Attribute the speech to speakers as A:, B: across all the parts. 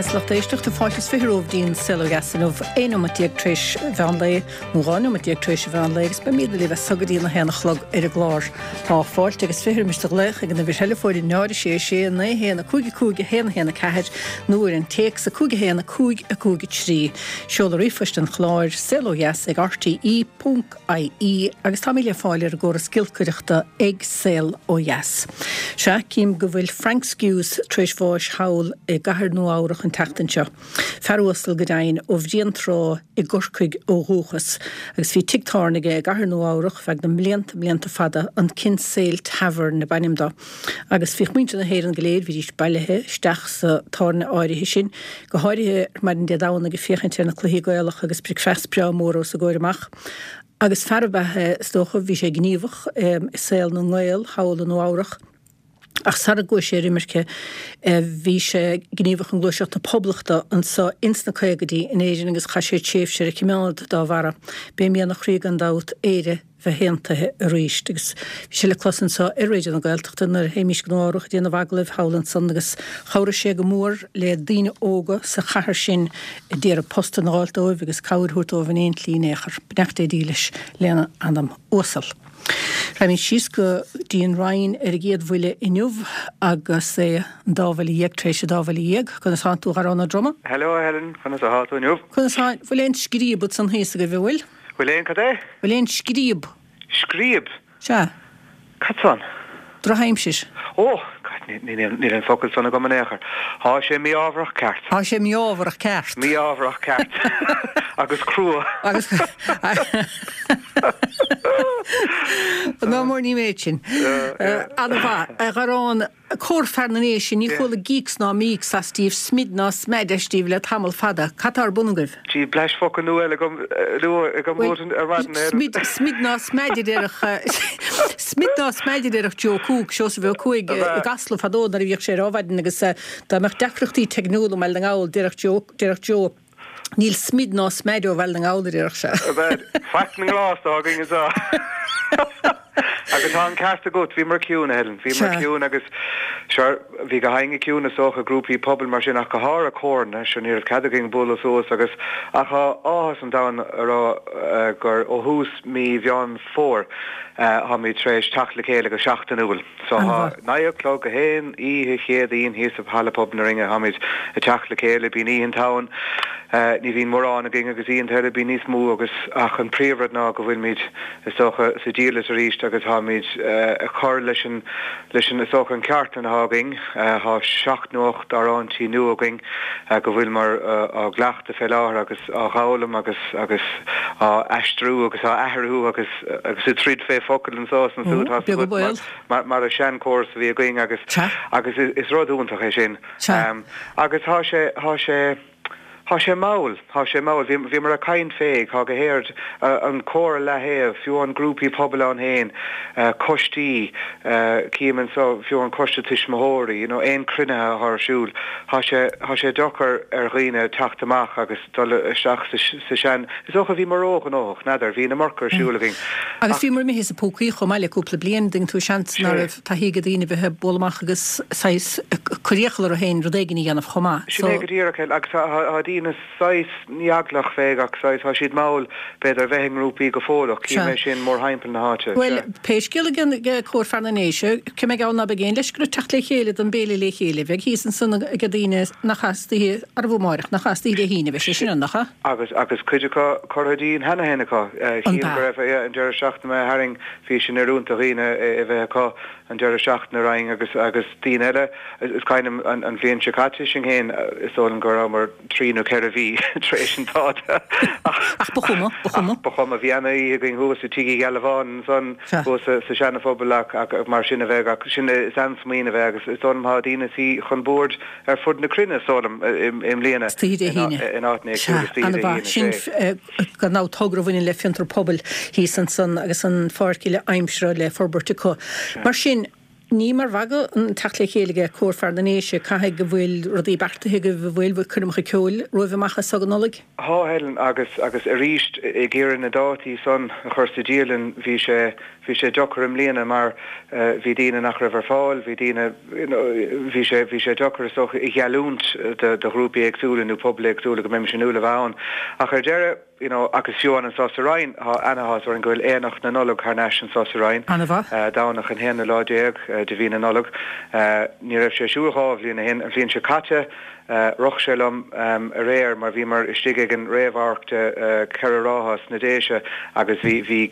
A: beatha is lucht éisteachta, fáilte is 20 romhaibh dtí'n Saol Ó Dheas inniu, 11 nóimeat tar éis mheán lae, nó 12 nóimeat tar éis an mheán lae, agus beimid libh as so go dtí an 1 a chlog ar an gclár. Tá fáilte agus 20 roimis do ghlaoch ag an uimhir theileafóin 0 6 6 9 1 5 5 1 1 4 nó ar an téacs 5 1 5 5 3. Seoladh ríomhphoist an chláir, saolodheas ag rte. ie agus táimid le fáil ar an gcóras giolcaireachta ag Saol Ó Dheas. Sea, cím go bhfuil Frank Skewes tar éis bháis thall i gcathair Nua Eabhrach an tseachtain seo. Fear uasal go deimhin ó Bhruíon Trá i gCorcaigh ó dhúchas agus bhí tigh tábhairne aige i gcathair Nua Eabhrach feadh na mblianta, mblianta fada, an Kinsale Tavern ab ainm dó. Agus bhíodh muintir na hÉireann go léir, bhídís bailithe isteach sa tábhairne áirithe sin, go háirithe ar maidin Dé Domhnaigh ag féachaint ar na cluichí Gaelacha agus bricfeast breá mór os a gcomhair amach. Agus fear ab ea é, is dócha, bhí sé gníomhach i saol na nGael thall i Nua Eabhrach, ach sara gcuaigh sé ar imirce bhí sé gníomhach i ngluaiseacht na Poblachta anso ins na caogaidí in Éirinn agus chaith sé tréimhse ar a choimeád dá bharra. B'é mian a chroí gan dabht Éire bheith aontaithe arís. Agus bhí sé le clos anso ar Raidió na Gaeltachta nuair a théimís go Nua Eabhrach ag déanamh agallaimh thall ansan agus chabhraigh sé go mór le daoine óga sa chathair sin a d'iarraidh postanna a dh'fháilt dóibh agus cabhair a thabhairt dóibh in aon tslí in aon chor. Beannacht Dé dílis lena anam uasal. Raghaimid síos go dtí an Rinn ar an gcéad bhuille inniu agus é an dá bhuille dhéag tar éis an dá bhuille dhéag. Conas tánn tú a Dharán Ó Droma?
B: Hello a Helen, conas athá tú inniu?
A: Conas tá, bhfuil aon scríob ansan thíos agaibh, an bhfuil?
B: Bhfuil aon cad é?
A: Bhfuil aon scríob?
B: Scríob?
A: Sea.
B: Cad san?
A: Drochaimsir.
B: Ó! God, níl an focal san agam in aon chor. Thá sé mí-ámharach ceart.
A: Thá sé mí-ámharach ceart.
B: Mí-ámharach ceart. Agus crua.
A: Agus. Ná mór ní méid sin. Ana-mhaith. A Dharán, Cór Fear na nDéise, ní chuala gíocs ná míocs as díbh, smid ná smeaid as díbh le tamall fada. Cad tá ar bun agaibh?
B: Gee, blaisfhocal nua eile agam nua agam uait ar maidin, a Helen.
A: Smid, smid ná smeaid a déarfadh, smid ná smeaid a déarfadh Joe Cooke, Seosamh Ó Cuaig, i gCasla fadó nuair a bhíodh sé ar Adhmhaidin agus dá mbeadh deacrachtaí teicniúla i mBaile na nGall, déarfadh Joe, déarfadh Joe, Níl smid ná smeaid ó Bhaile na nGall, a déarfadh
B: sé. Faic na nGrást atá againn anseo. Agus tá an ceart agat, bhíomar ciúin, a Helen, bhíomar ciúin agus, sure, bhí gach éinne ciúin is dócha, grúpaí pobail mar sin ach go háirithe córanna, sure, ní raibh cead againn bualadh suas agus, ach tá áthas an domhain a rá gur ó thús mí Mheán Fómhair, táimid tar éis teacht le chéile go seachtainiúil. So thá naoi a chlog gach aon oíche Chéadaoin thíos i Halla Pobail na Rinne, táimid ag teacht le chéile, bíonn oícheanta ann, ní bhíonn mórán againn agus oícheanta eile bíonn níos mó agus ach an príomhrud ná go bhfuilimid is dócha sa diallait arís agus táimid ag cur leis an leis an is dócha an chartlann athá againn, thá seacht nó ocht amhráintí nua againn go bhfuileamar á gcleachtadh fé láthair agus á dh'fhoghlaim agus agus á aistriú agus á athrú agus agus ag troid fé focail anso is ansúd tá
A: Beag an baol.
B: mar mar an seanchóras a bhí againn agus agus is rud iontach é sin. Agus thá sé thá sé thá sé mall thá sé mall bhí bhíomar ag caint fé thá go héard an cór ar leaththaobh fiú an grúpaí pobail ann féin coistí cím anso fiú an coiste tuismitheoirí you know aon cruinnithe athá ar siúl thá sé thá sé deacair ar dhaoine teacht amach agus dul isteach sa sean. Is dócha bhíomar róghnóthach, n'fheadar, bhí an iomarca ar siúl againn.
A: Agus bhíomar imithe as na púcaí chomh maith le cúpla bliain, dtuigeann tú, seans ná raibh taithí ag daoine bheith ag bualadh amach agus saghas cur iachall orthu féin rud éigin a dhéanamh chomh maith.
B: Sin é go díreach, agus tá daoine saghas, ní eaglach fé ach saghas, tá siad mall b'fhéidir a bheith i ngrúpaí go fóill ach cím é sin mórthimpeall na háite.
A: Bhuel, pé scéal ag Cór Fear na nDéise, cé mé geall ná beidh aon leisce orthu teacht le chéile don béile le chéile, bheidh thíos ansan ag daoine nach as oíche arbh amáireach, nach ea, istoíche Dé hAoine, bheidh sé sin ann, nach ea?
B: Agus, agus cuid acu curtha dínn cheana féin acu.
A: An
B: Chím go
A: ea?
B: raibh, yeah, an deireadh seachtaine imithe tharainn, bhí sin oiriúnach do dhaoine é a bheith acu an deireadh seachtaine roimhe agus, agus daoine eile, is cuimhin liom an, an bhliain seo caite sinn féin, is dóigh liom go rabhamar trí nó ceithre mhí tar éis an dáta
A: ach, Ach ba chuma, ba chuma.
B: ach ba chuma. Bhí ana-oíche againn thuas i Tigh Uí Ghealbháin ansan,
A: Sea.
B: thuas sa, sa Seana-Phobal ach, ach mar sin a bheadh ach sin, is an-smaoineamh é agus is dóigh liom tá daoine ag suí chun boird ar fud na cruinne, is dóigh liom, i mbliana
A: Istoíche Dé hAoine.
B: in áiteanna éagsúla
A: Sea,
B: istoíche Dé
A: ana-mhaith.
B: hAoine,
A: Sin
B: sé.
A: gan dabht togra a bhaineann le fiontar pobail thíos ansan agus an pháirc uile aimsire le forbairt acu. Mar sin, Ní mar mhagadh an teacht le chéile aige Cór Fear na nDéise, caithfidh go bhfuil rudaí beartaithe agaibh, an bhfuil, coirmeacha ceoil romhaibh amach as so go Nollaig?
B: Thá, Helen, agus, agus arís, ag iarraidh na dátaí san a chur sa dialann, bhí sé, bhí sé deocair i mbliana mar bhí daoine nach raibh ar fáil, bhí daoine, you know, bhí sé, bhí sé deocair is dócha a gheallúint do, do ghrúpaí éagsúla nó pobail éagsúla go mbeimis in iúl a bheith ann. Ach ar deireadh, you know, agus fiú amháin anso sa Rinn, thá ana-áthas orainn go bhfuil Aonach na Nollag thar n-ais anso sa Rinn,
A: Ana-mhaith.
B: Domhnach an haonú lá déag de mhí na Nollag. Ní raibh sé ar siúl 2 bhliain ó shin. An bhliain seo caite, Rith sé liom aréir mar bhíomar istigh ag an réamhamharc de Cheithre Rátha sna Déise agus bhí bhí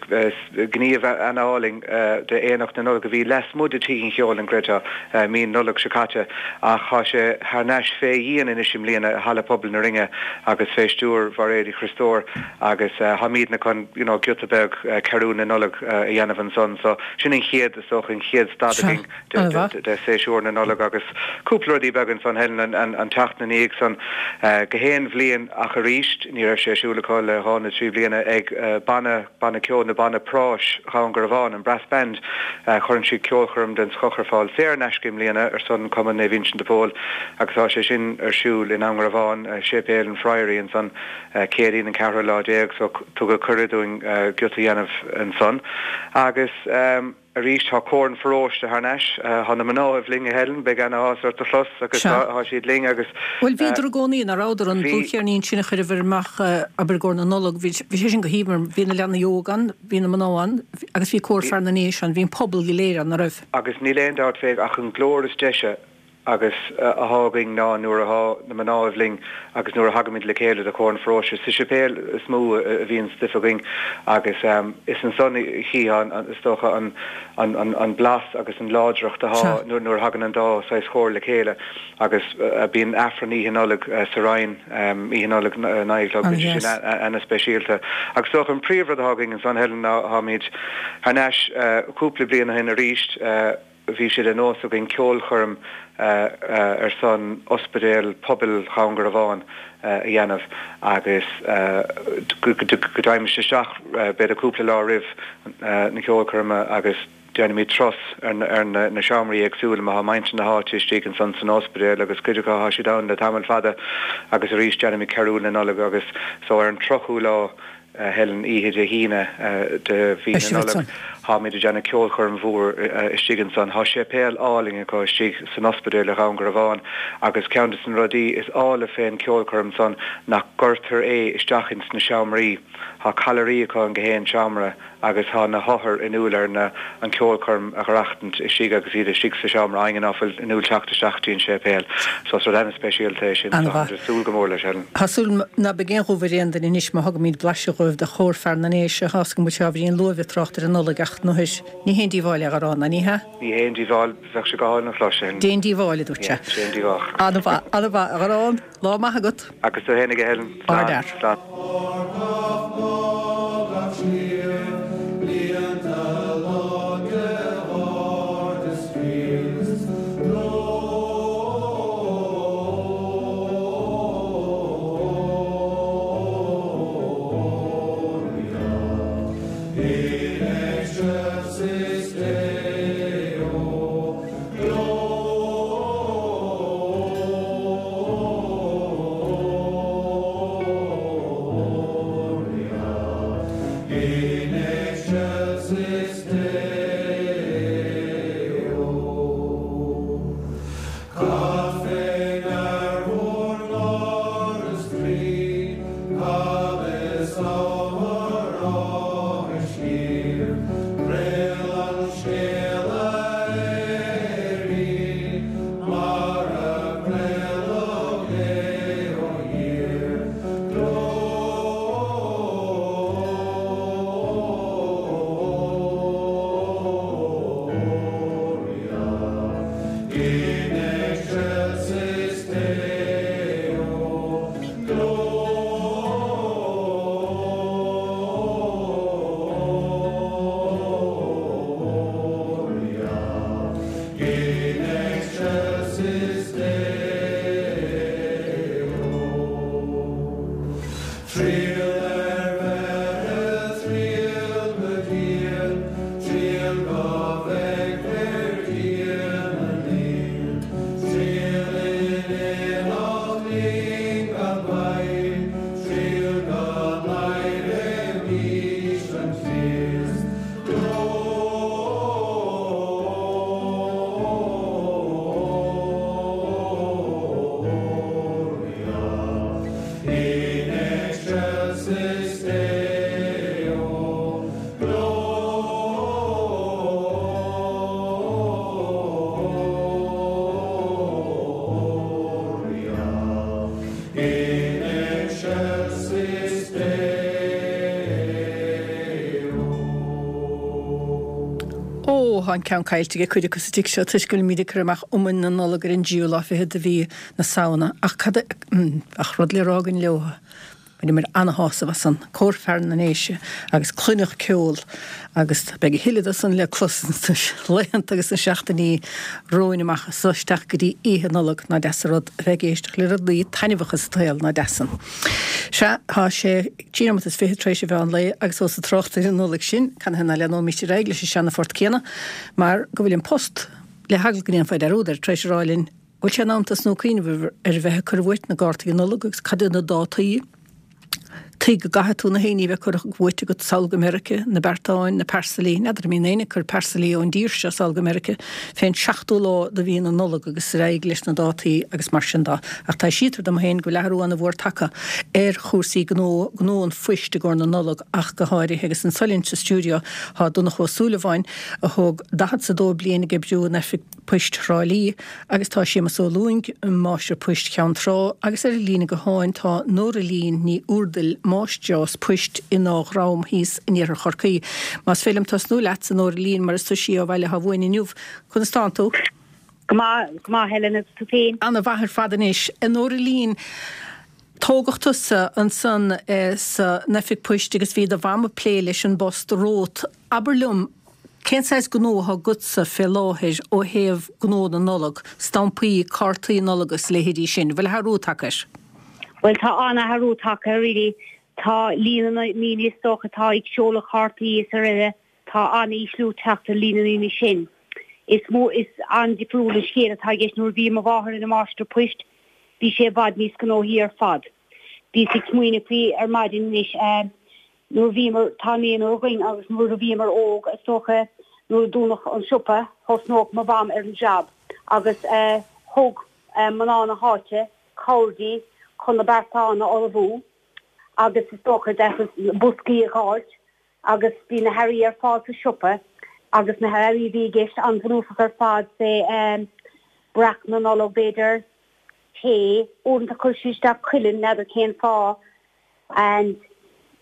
B: gníomh ana-álainn de Aonach na Nollag a bhí lasmuigh de Tigh an Cheoil an gcreidfeá mí na Nollag seo caite ach thá sé thar n-ais fé dhíon anois i mbliana i Halla Pobail na Rinne agus fé stiúir Mhairéad Uí Chriostóir agus tháimídne chun you know giota beag Cearúil na Nollag a dhéanamh ansan so sin an chéad is dócha an chéad stad againn. de séasúr na Nollag agus cúpla rudaí beaga ansan, Helen, an tseachtain ina dhiaidh san, gach aon bhliain ach arís ní raibh sé ar siúl acu le dhá nó trí bliana ag banna, banna ceoil nó banna práis Dhún Garbhán, an Brass Band, cuireann siad ceolchoirm den scoth ar fáil saor in aisce i mbliana ar son Cumann Naomh Uinseann de Pól agus tá sé sin ar siúl i nDún Garbhán, Séipéal an Friary ansan, Céadaoin an ceathrú lá déag so tugadh cuireadh dúinn giota a dhéanamh ansan agus. Arís, tá Cór an Pharóiste thar n-ais. Tá na mnáibh linn, a Helen, beidh ana-áthas ort a chlos agus tá siad linn agus.
A: Bhuel, bhíodar i gcónaí, nach rabhadar, an dlúthcheirnín sin a chuireabhair amach, abair, i gcomhair na Nollag, bhí sé sin go haoibhinn mar bhí na leanaí óga ann, bhí na mná ann agus bhí Cór Fear na nDéise ann, bhí an pobal go léir ann, nach raibh?
B: Agus níl aon dabht fé ach an glór is deise agus athá againn ná nuair athá na mnáibh linn agus nuair a thagaimid le chéile do Chór an Pharóiste. Sa séipéal is mó a bhíonn stuif againn agus is ansan a chífeá is dócha an blas agus an láidreacht athá nuair a thagann an dá saghas chóir le chéile agus bíonn Aifreann Oíche Nollag sa Rinn, Oíche Nollag 9 a chlog, bíonn sé sin ana-speisialta. Agus is dócha an príomhrud athá againn ansan Helen ná tháimid thar n-ais cúpla bliain ó shin arís, Bhí sé de nós againn ceolchoirm ar son Ospidéal Pobail Dhún Garbhán a dhéanamh agus go dteimis isteach b'fhéidir cúpla lá roimh na ceolchoirme agus déanaimid turas ar na seomraí éagsúla mar tá muintir na háite istigh ansan san ospidéal agus cuid acu tá siad ann le tamall fada agus arís déanaimid Cearúil na Nollag agus so ar an 30ú lá Helen, Oíche Dé hAoine de mhí na Nollag, táimid ag déanamh ceolchoirm mhór istigh ansan. Tá séipéal álainn acu istigh san ospidéal i Dhún Garbhán agus ceann de na rudaí is áille fén ceolchoirm san nach gcuirtear é isteach ins na seomraí. Tá callairí acu in gach aon seomra agus tá na hothair in iúl ar na an ceolchoirm a dh'aireachtaint istigh agus iad istigh sa seomra éinne ná fuil in iúl teacht isteach dtí an séipéal. So is rud ana-speisialta é sin.
A: An-mhaith.
B: Táimid ag súil go mór leis, Helen.
A: Tá súil ná beidh aon dhubh ar aon duine anois má thugaimid blaiseadh dhóibh de Chór Fear na nDéise. Tá 's agam go bhfuil sé ábhairín luath a bheith ag trácht ar an Nollaig ach nuair ní haon díobháil é a Gharrán, ná ní hea?
B: Ní haon díobháil, bheadh sé go hálainn a chlos, Helen.
A: Déan díobháil, a dúirt sé.
B: Déan díobháil.
A: An-mhaith, an-mhaith, a Gharrán. Lá maith agat.
B: Agus tú fhéinig, a Helen.
A: Slán. Slán. Ó, tá an ceann caillte ag cuid acu sa tigh seo toisc go bhfuilimid ag cur amach iomainn na Nollag ar an dtríú lá fichead de mhí na Samhna. Ach cad a. Bheadh rud le rá againn leo. Bhaineamar ana-shásamh as san, Cór Fear na nDéise agus cluineadh ceol agus beidh a thuilleadh de san le clos sna laethanta agus sna seachtainí romhainn amach as so isteach go dtí Oíche Nollag. Nach deas an rud a bheith ag éisteacht le rudaí taitneamhacha sa tsaol, nach deas san? Sea, tá sé trí nóimeat is fichead tar éis an mheán lae agus ós ag trácht ar an Nollaig sinn, canathaobh ná leathnóimíst ar aghaidh leis an seana-phort céanna mar go bhfuil An Post, le heagla go ndéanfaí dearúd air, tar éis a rá linn, bhfuil sé in am tosnú ag cuimhneamh ar bheith ag cur uait na gcártaí Nollag agus cad iad na dátaí tuig go gcaithfidh tú na héinní a bheith curtha uait agat sall go Meirice, na beartáin, na pearsailí, n'fheadar an mbíonn éinne ag cur pearsailí ón dtír seo sall go Meirice fén seachtú lá de mhí na Nollag agus ar aghaidh leis na dátaí agus mar sin de. Ach taibhsítear dom féin go bhfuil athrú ana-mhór tagtha ar chúrsaí gnó, gnó an phoist i gcomhair na Nollag ach go háirithe agus anso linn sa stiúideo tá Donncha Ó Súilleabháin a thóg daichead 's a dó bliain ag oibriú in oifig Poist Thrá Lí, agus tá Séamus Ó Lúing, Máistir Poist Cheann Trá, agus ar an líne gutháin tá Nóra-Lín Ní Úrdail, Máistreás Poist in Áth Ghram thíos in iarthar Chorcaí. Más féidir liom tosnú leatsa, Nóra-Lín, mar is tusa í ó Bhaile Átha Bhuain inniu. Conas tánn tú?
C: Go maith, go maith, Helen, agus tú féin?
A: Ana mhaith ar fad anois. A Nóra-Lín, tógadh tusa ansan san oifig poist agus bhí do mham ag plé leis an bpost romhat. Abair liom, Cén saghas gnó atá agatsa fé láthair ó thaobh gnó na Nollag, stampaí, cártaí Nollag agus a leithéidí sin? Bhfuil athrú tagtha air?
C: Bhuel, tá an-athrú tagtha air really. Tá líon na ndaoine is dócha atá ag seoladh cártaí is araile, tá an-ísliú teacht ar líon na ndaoine sin. Is mó, is an-difriúil an scéal atá i gceist nuair a bhí mo mháthair ina máistir poist, bhí sé i bhfad níos gnóthaí ar fad. Bhíos ag smaoineamh faoi ar maidin anois, eh, Nuair a bhíomar, tá naonúr againn agus nuair a bhíomar óg, is dócha, nuair a dúnadh an siopa, thosnódh mo mham ar an jab agus thug mná na háite cabhair di chun na beartáin a ullmhú agus is dócha na boscaí a dh'fháilt agus bhí na hearraí ar fáil sa siopa agus na hearraí a bhí i gceist an-bhunúsach ar fad, say breac na Nollag b'fhéidir, tae, uaireanta chuir siad isteach cuileann, n'fheadar cén fáth. and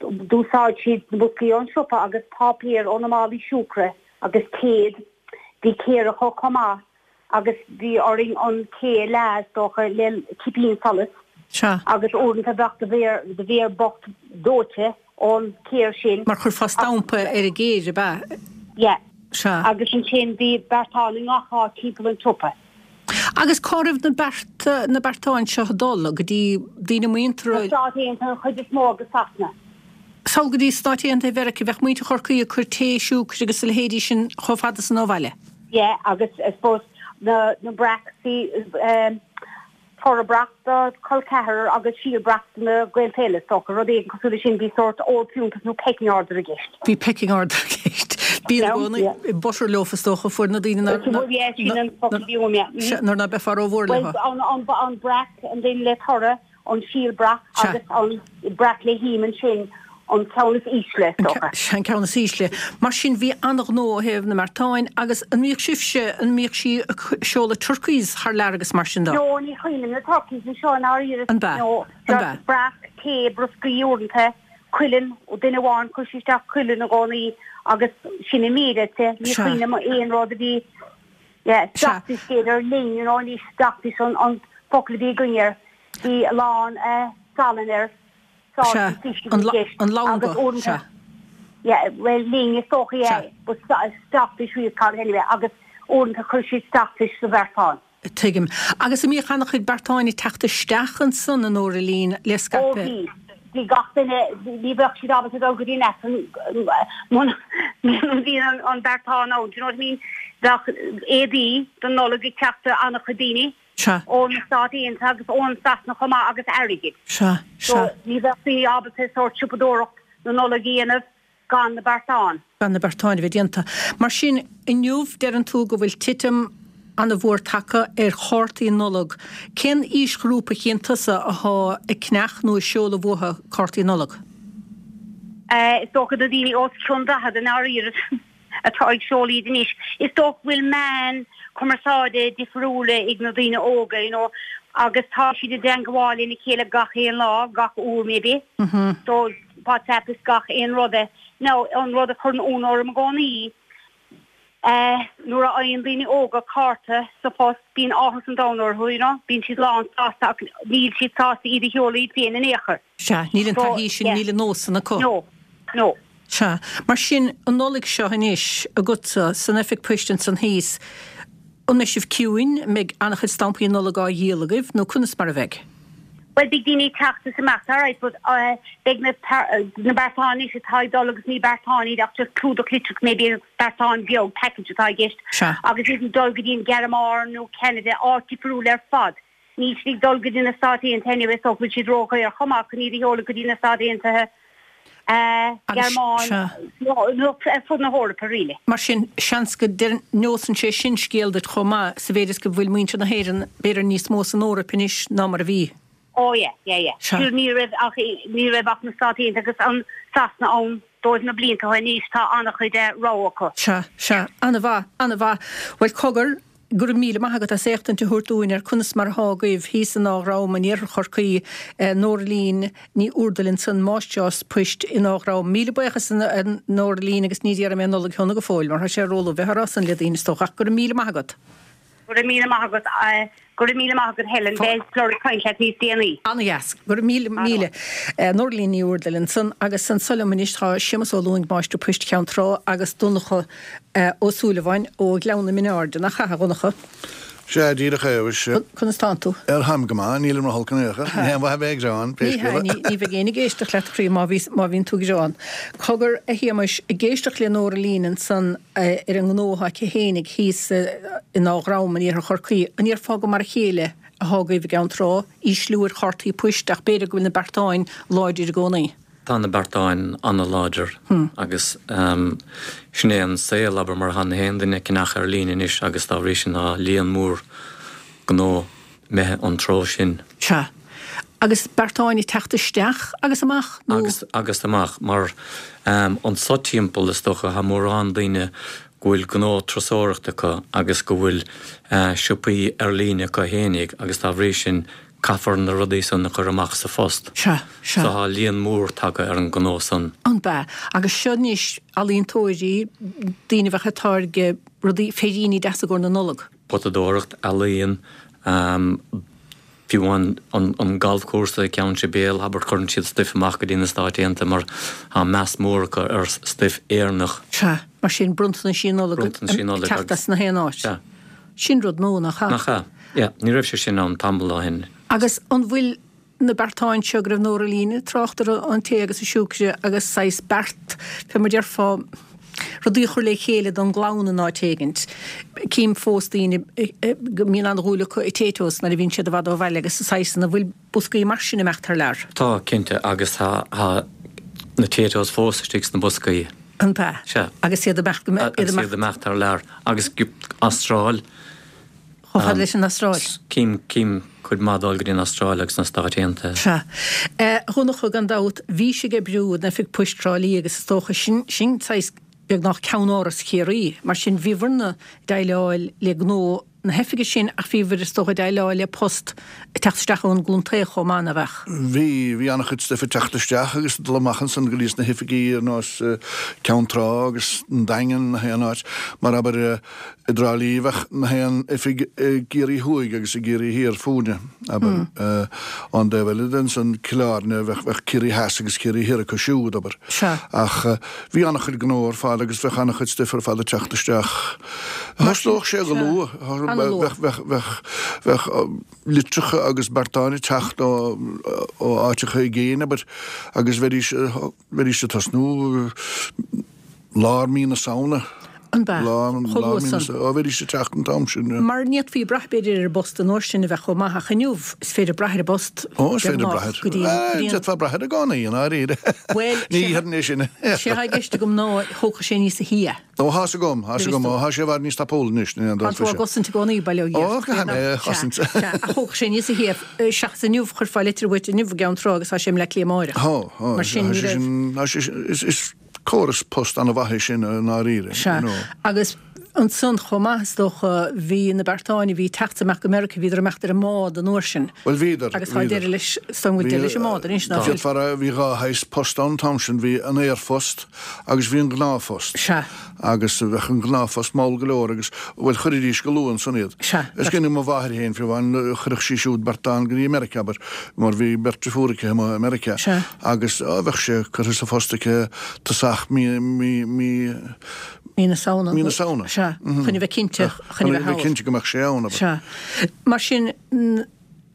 C: d'úsáid siad na boscaí ón siopa agus páipéar ó na málaí siúcra agus téad. Bhí céir acu chomh maith agus bhí orainn an cé a leá is dócha le cipín solais
A: Sea.
C: agus uaireanta bheadh do mhéar, do mhéar bocht dóite ón chéir sin.
A: Mar chuirfeá stampa ar an gcéir, ab ea?
C: Yeah.
A: Sea.
C: Agus ansin bhí beartáin i ngach áit timpeall an tsiopa.
A: Agus cá raibh na bearta, na beartáin seo ag dul? Go dtí daoine muinteartha?
C: Na Stáit Aontaithe an chuid is mó agus Sasana.
A: Sall go dtí Stáit Aontaithe Mheiriceá, bheadh muintir Chorcaí ag cur tae, siúcra agus a leithéidí sin chomh fada san ó bhaile?
C: Yeah, agus I suppose na, na breac, bhí eh, toradh breac do chol ceathrar agus síol breac do na gaolta eile, is dócha, rud éigin cosúil leis sin, bhí sórt ord fiúntais nó pecking order i gceist.
A: Bhí pecking order i gceist. Bíonn i gcónaí butter loaf is dócha, fuair na daoine
C: nár,
A: nuair ná beifeá rómhór
C: leo. Bhuel, an breac, an duine le toradh, an síol breac agus an breac le him ansin, an ceann is ísle, is dócha.
A: Sea, an ceann is ísle. Mar sin, bhí an-ghnó ó thaobh na mbeartáin agus an mbíodh sibhse, an mbíodh sí ag seoladh turkeys thar lear agus mar sin
C: de? No, ní chuimhin liom na turkeys anseo i ndáiríre.
A: An b'ea?
C: No,
A: An b'ea?
C: just breac, tae, broscaí uaireanta, cuileann, duine amháin, chuir sí isteach cuileann i gcónaí agus sin an méid, I'd say. Ní
A: Sea.
C: chuimhin liom aon rud a bhí, yeah,
A: Sea.
C: stockfish b'fhéidir, ling, you know, anois stockfish an, an focal a bhí againn air. Bhí a lán eh, salann air.
A: Sea, an langa, sea.
C: Yeah, well, ling is dócha, yeah, but stockfish we call it anyway, agus uaireanta chuir siad stockfish sa bheartán.
A: Tuigim. Agus an mbíodh an-chuid beartáin ag teacht isteach ansan, a Nóra-Lín, le
C: scaipeadh? Ó bhí. Bhí gach duine, ní bheadh siad ábalta dul go dtí an Aifreann muna mbíonn an beartán ann, do you know what I mean? Bheadh éadaí don Nollaig ag teacht do an-chuid daoine.
A: Sea.
C: Ó na Stáit Aontaithe agus ón Sasana chomh maith agus airgead.
A: Sea,
C: So
A: sea.
C: ní bheadh daoine ábalta sórt siopadóireacht na Nollag a dhéanamh gan na beartáin.
A: Gan na beartáin a bheith déanta. Mar sin, inniu deireann tú go bhfuil titim an-mhór tagtha ar chártaí Nollag. Cén aoisghrúpa a chíonn tusa athá ag ceannach nó ag seoladh uathu cártaí Nollag?
C: Is dócha na daoine os cionn 40 i ndáiríre. atá ag seoladh iad anois. Is dócha go bhfuil meáin cumarsáide difriúla ag na daoine óga, you know, agus tá siad i dteangabháil lena chéile gach aon lá, gach uair maybe. So WhatsApp is gach aon rud é. Now, an rud a chuireann ionadh orm i gcónaí, Nuair a fhaigheann daoine óga cárta sa phost bíonn áthas an domhain orthu, you know, bíonn siad lán sásta ach níl siad sásta iad a sheoladh iad féin in aon chor.
A: Sea, níl an taithí sin, níl an nós san acu.
C: No, no.
A: Sea. Mar sin, an Nollaig seo anois, agatsa, san oifig poist ansan thíos, an mbeidh sibh ciúin, an mbeidh an-chuid stampaí Nollag á dhíol agaibh, nó conas mar a bheidh?
C: Bhuel, beidh daoine ag teacht is imeacht, alright, but beidh na na beartáin anois atá ag dul agus ní beartáin iad ach just clúdach litreach maybe agus beartán beag, package atá i gceist,
A: Sea.
C: agus iad ag dul go dtí an Ghearmáin nó Ceanada, áit difriúil ar fad. Níl siad ag dul go dtí na Stáit Aontaithe anyway so go bhfuil siad ródhaor chomh maith chun iad a sheoladh go dtí na Stáit Aontaithe, Gearmáin, nó ar fud na hEorpa really.
A: Mar sin, seans go neosann sé sin scéal duit chomh maith, sa mhéid is go bhfuil muintir na hÉireann b'fhéidir níos mó san Eoraip anois ná mar a bhí.
C: Oh yeah, yeah, yeah. Sea. Ní raibh ach, ní raibh ach na Stáit Aontaithe agus an Sasana ann dóibh na blianta ó shin, anois tá an-chuid rogha acu.
A: Sea, sea. An-mhaith, an-mhaith. Bhuel, cogar, Go raibh míle maith agat as éachtaint a thabhairt dúinn ar conas mar athá agaibh thíos in Áth Ghram in iarthar Chorcaí, Noraleen Ní Úrdail ansan, máistreás poist in Áth Ghram. Míle buíochas a Noraleen agus ní déarfaidh mé Nollaig Shona go fóill mar tá sé róluath bheith á rá san le daoine is dócha ach go raibh míle maith agat.
C: Go raibh míle maith agat. Go raibh míle maith agat Helen. Beidh Flor ag caint leat níos déanaí.
A: Ana-dheas. Go raibh míle míle. Noraleen Ní Úrdail ansan agus anso liom anois tá Séamus Ó Lúing, Máistir Poist Cheann Trá agus Donncha Ó Súilleabháin ó Ghleann na Mine Airde. Nach ea, a Dhonncha?
D: Sea, díreach é, mhuise.
A: Conas tánn tú?
D: Ar tháim go maith, nílim ro-holc in aon chor. Ní haon mhaith a bheith ag gearán, pé
A: Ní hea,
D: scéal é.
A: ní bheidh éinne ag éisteacht leat, a chroí, má bhí, má bhíonn tú ag gearán. Cogar, a Shéamais, ag éisteacht le Noraleen ansan ar an ngnó atá aici fhéinig thíos in Áth Ghram in iarthar Chorcaí, an ndéarfá gur mar a chéile athá agaibh i gCeann Trá, ísliú ar chártaí poist ach b'fhéidir go bhfuil na beartáin láidir i gcónaí?
E: Tá na beartáin an-láidir agus sin é an saol, abair, mar tá na haon duine ag ceannach ar líne anois agus dá bhrí sin tá líon mór gnó imithe an treo sin.
A: Sea. Agus beartáin ag teacht isteach agus amach
E: nó? Agus, agus amach, mar anso timpeall is dócha tá mórán daoine go bhfuil gnó turasóireachta acu agus go bhfuil siopaí ar líne acu fhéinig agus dá bhrí sin Caithfear na rudaí san a chur amach sa phost.
A: Sea, sea.
E: So tá líon mór tagtha ar an ngnó san.
A: An b'ea? Agus seo anois ealaíontóirí, daoine a bheadh ag táirgeadh rudaí, féiríní deasa i gcomhair na Nollag.
E: Potadóireacht, ealaíon, fiú amháin an galfchúrsa i gCeann Sibéal, abair, cuireann siad stuif amach go dtí na Stáit Aontaithe mar tá meas mór acu ar stuif Éireannach.
A: Sea, mar sin, bronntanaisí Nollag ag teacht as na haon áit.
E: Sea.
A: Sin rud nua, nach
E: ea? Nach ea? Yeah, ní raibh sé sin ann tamall ó shin.
A: Agus an bhfuil na beartáin seo go raibh Noraleen ag trácht orthu, an tae agus an siúcra agus saghas beart, fé mar déarfá, rudaí a chur le chéile don gclann in áit éigint. Cím fós daoine go mbíonn an-dhúil acu i Taytos nuair a bhíonn siad i bhfad ó bhaile agus saghas an bhfuil boscaí mar sin ag imeacht thar lear?
E: Tá, cinnte, agus tá na Taytos fós istigh sna boscaí.
A: An ea?
E: Sea.
A: Agus iad ag imeacht,
E: iad ag imeacht thar lear. Agus Astráil.
A: Chomh fada leis an Astráil.
E: Cím, cím cuid maith ag dul go dtí an Astráil agus na Stáit Aontaithe.
A: Sea. A Dhonncha, gan dabht, bhís ag oibriú in Oifig Poist Thrá Lí agus is dócha sin, sin saghas beagnach ceannáras Chiarraí. Mar sin, bhíobhair-ne ag déileáil le gnó na hoifige sin ach bhíobhair is dócha ag déileáil le post ag teacht isteach ón gcontae chomh maith, nach
D: ea? Bhí, bhí an-chuid stuif ag teacht isteach agus ag dul amach ansan go dtí sna hoifigí ar nós Ceann Trá agus an Daingean, na haon áit. Mar abair i dTrá Lí bheadh na haon oifig i gCiarraí Thuaidh agus i gCiarraí Thiar fúinne, abair. Ón dtaobh eile de ansan, Cill Airne, bheadh, bheadh Ciarraí Theas agus Ciarraí Thiar acu siúd, abair.
A: Sea.
D: Ach bhí an-chuid gnó ar fad agus bheadh an-chuid stuif ar fad ag teacht isteach. Thosnódh sé go luath. Bheadh litreacha agus beartáin ag teacht ó áiteacha i gcéin, abair, agus bheidís ag tosnú lár mí na Samhna.
A: An b'ea? Chomh luath san.
D: Ó, bheidís ag teacht an t-am sin.
A: Mar ní fhéadfaí brath, b'fhéidir, ar an bpost an uair sin a bheith chomh maith, ach inniu is féidir brath ar an bpost
D: Ó, is féidir brath air. go dtí an. D'fhéadfá brath air i gcónaí, i ndáiríre.
A: Bhuel,
D: Ní dhéarfainn é sin.
A: sé atá i gceist agam ná thógfadh sé níosa shia.
D: Ó, thá's agam, thá's agam, ó, thá sé i bhfad níos tapúla anois, ní
A: Tá tú á gcosaint i gcónaí, bail ó Dhia
D: ort. Ó, caithfidh mé é a chosaint.
A: Sea, sea, ach thógfadh sé níosa shia, seachas inniu, chuirfeá litir uait inniu i gCeann Trá agus tá sé i mBleá Cliath amáireach.
D: Thá, thá,
A: Mar sin,
D: ní raibh. Tá sé sin, is córas post an-mhaith é sin, i ndáiríre,
A: Sea,
D: you know.
A: agus. Ansan chomh maith, is dócha, bhí na beartáin a bhí ag teacht amach go Meiriceá, bhíodar ag imeacht ar an mbád an uair sin.
D: Bhuel, bhíodar,
A: Agus tá deireadh leis, is dóigh go bhfuil deireadh leis an mbád anois, ná fuil?
D: D'fhéadfá a rá, bhí dha shaghas post ann an t-am sin, bhí an aerphost agus bhí an gnáthphost.
A: Sea.
D: Agus bheadh an gnáthphost mall go leor agus, bhuel, chuiridís go luath ansan iad.
A: Sea.
D: Is cuimhin liom mo mháthair féin, fiú amháin, chuireadh sí siúd beartán go dtí Meiriceá, abair, mar bhí beirt driofúr aici amuigh i Meiriceá.
A: Sea.
D: Agus, á, bheadh sé curtha sa phost aici tosach mí, mí, mí,
A: Mí na Samhna.
D: Mí na Samhna.
A: Sea. Chun a bheith cinnte,
D: chun a bheith cinnte go mbeadh sé ann,
A: abair. Sea. Mar sin,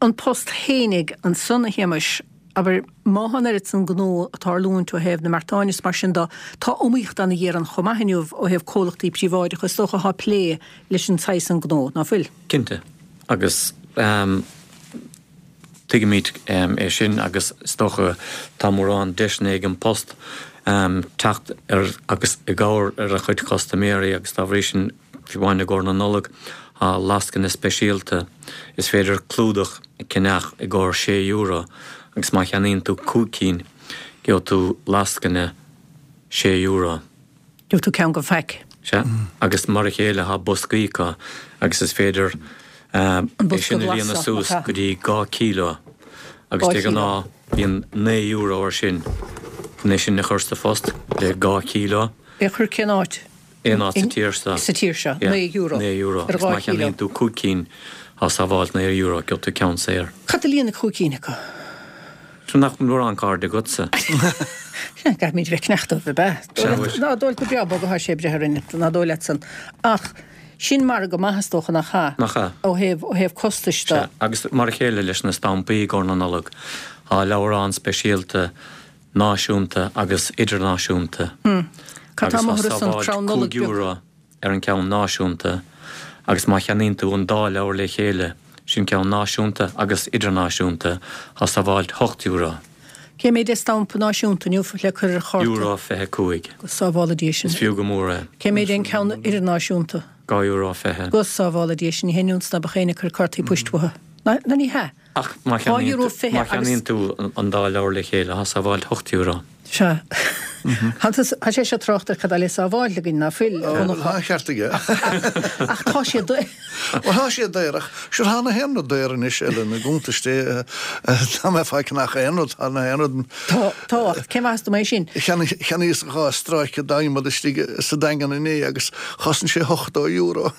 A: an post fhéinig ansan, a Shéamais, abair, má thá an oiread san gnó ag tarlúint ó thaobh na mbeartán is mar sin do, tá iomaíocht ana-ghéar ann chomh maith inniu ó thaobh comhlachtaí príobháideacha, is dócha, athá ag plé leis an saghas san gnó, ná fuil?
E: Cinnte. Agus Tuigimid é sin agus is dócha tá mórán deiseanna ag An Post teacht ar agus i gcabhair ar a chuid custaiméirí agus dá bhrí sin, fiú amháin i gcomhair na Nollag, tá lascaine speisialta. Is féidir clúdach a cheannach i gcomhair sé euro agus má cheannaíonn tú 5 cinn, gheobhaidh tú lascaine sé euro.
A: Gheobhaidh tú ceann den phaic.
E: Sea, agus mar a chéile tá boscaí acu agus is féidir é sin a líonadh suas go dtí 2 kilo agus de ghnáth bíonn €9 air sin chun é sin a chur sa phost le 2
A: kilo. É a chur cén áit?
E: Aon áit sa tír seo.
A: Sa tír seo, €9.
E: €9. Agus má cheannaíonn tú 5 cinn tá sábháilt €9, gheobhaidh tú ceann saor.
A: Cad a líonfaidh 5 cinn acu?
E: Sea, nach bhfuil mórán cairde agatsa?
A: Sea, caithfimid bheith cneasta dóibh, ab ea? Sea, bhuel. Ná dóigh go breá bog atá sé ag breith orainn, ná dóigh leat san. Ach sin margadh maith, is dócha, nach ea?
E: Nach ea.
A: Ó thaobh, ó thaobh costais
E: de. Sea, agus mar a chéile leis na stampaí i gcomhair na Nollag, tá leabhrán speisialta náisiúnta agus idirnáisiúnta.
A: Cad tá
E: Agus tá
A: amuigh ar son
E: sábháilt
A: crann Nollag
E: €5
A: beag?
E: ar an gceann náisiúnta agus má cheannaíonn tú an dá leabhar le chéile, sin ceann náisiúnta agus idirnáisiúnta, tá sábháilt €8.
A: Cé méid é stampa náisiúnta inniu le cur ar chárta?
E: Euro 25.
A: Go sábhála Dia sinn.
E: Is fiú go mór é.
A: Cé méid é an ceann idirnáisiúnta?
E: €2.20.
A: Go sábhála Dia sinn, ní haon iontas ná beadh éinne ag cur cártaí poist uathu. Ná ní hea.
E: Ach má cheannaíonn tú an dá leabhar le chéile, tá sábháilt €8.
A: Sea. Tá sé seo trácht ar cad tá le sábháil againn, ná fuil, a
D: Dhonncha? Tá an ceart aige.
A: Ach tá sé daor.
D: Bhuel, tá sé daor, ach sure tá na haon rud daor anois, Ellen, i gcuntais Dé, tá mé faic nach aon rud, tá na haon rud.
A: Tá, tá, ach cén mhaitheas dom é sin?
D: Cheannaíos dha stráice d'adhmad istigh sa Daingean inné agus chosain sé €80.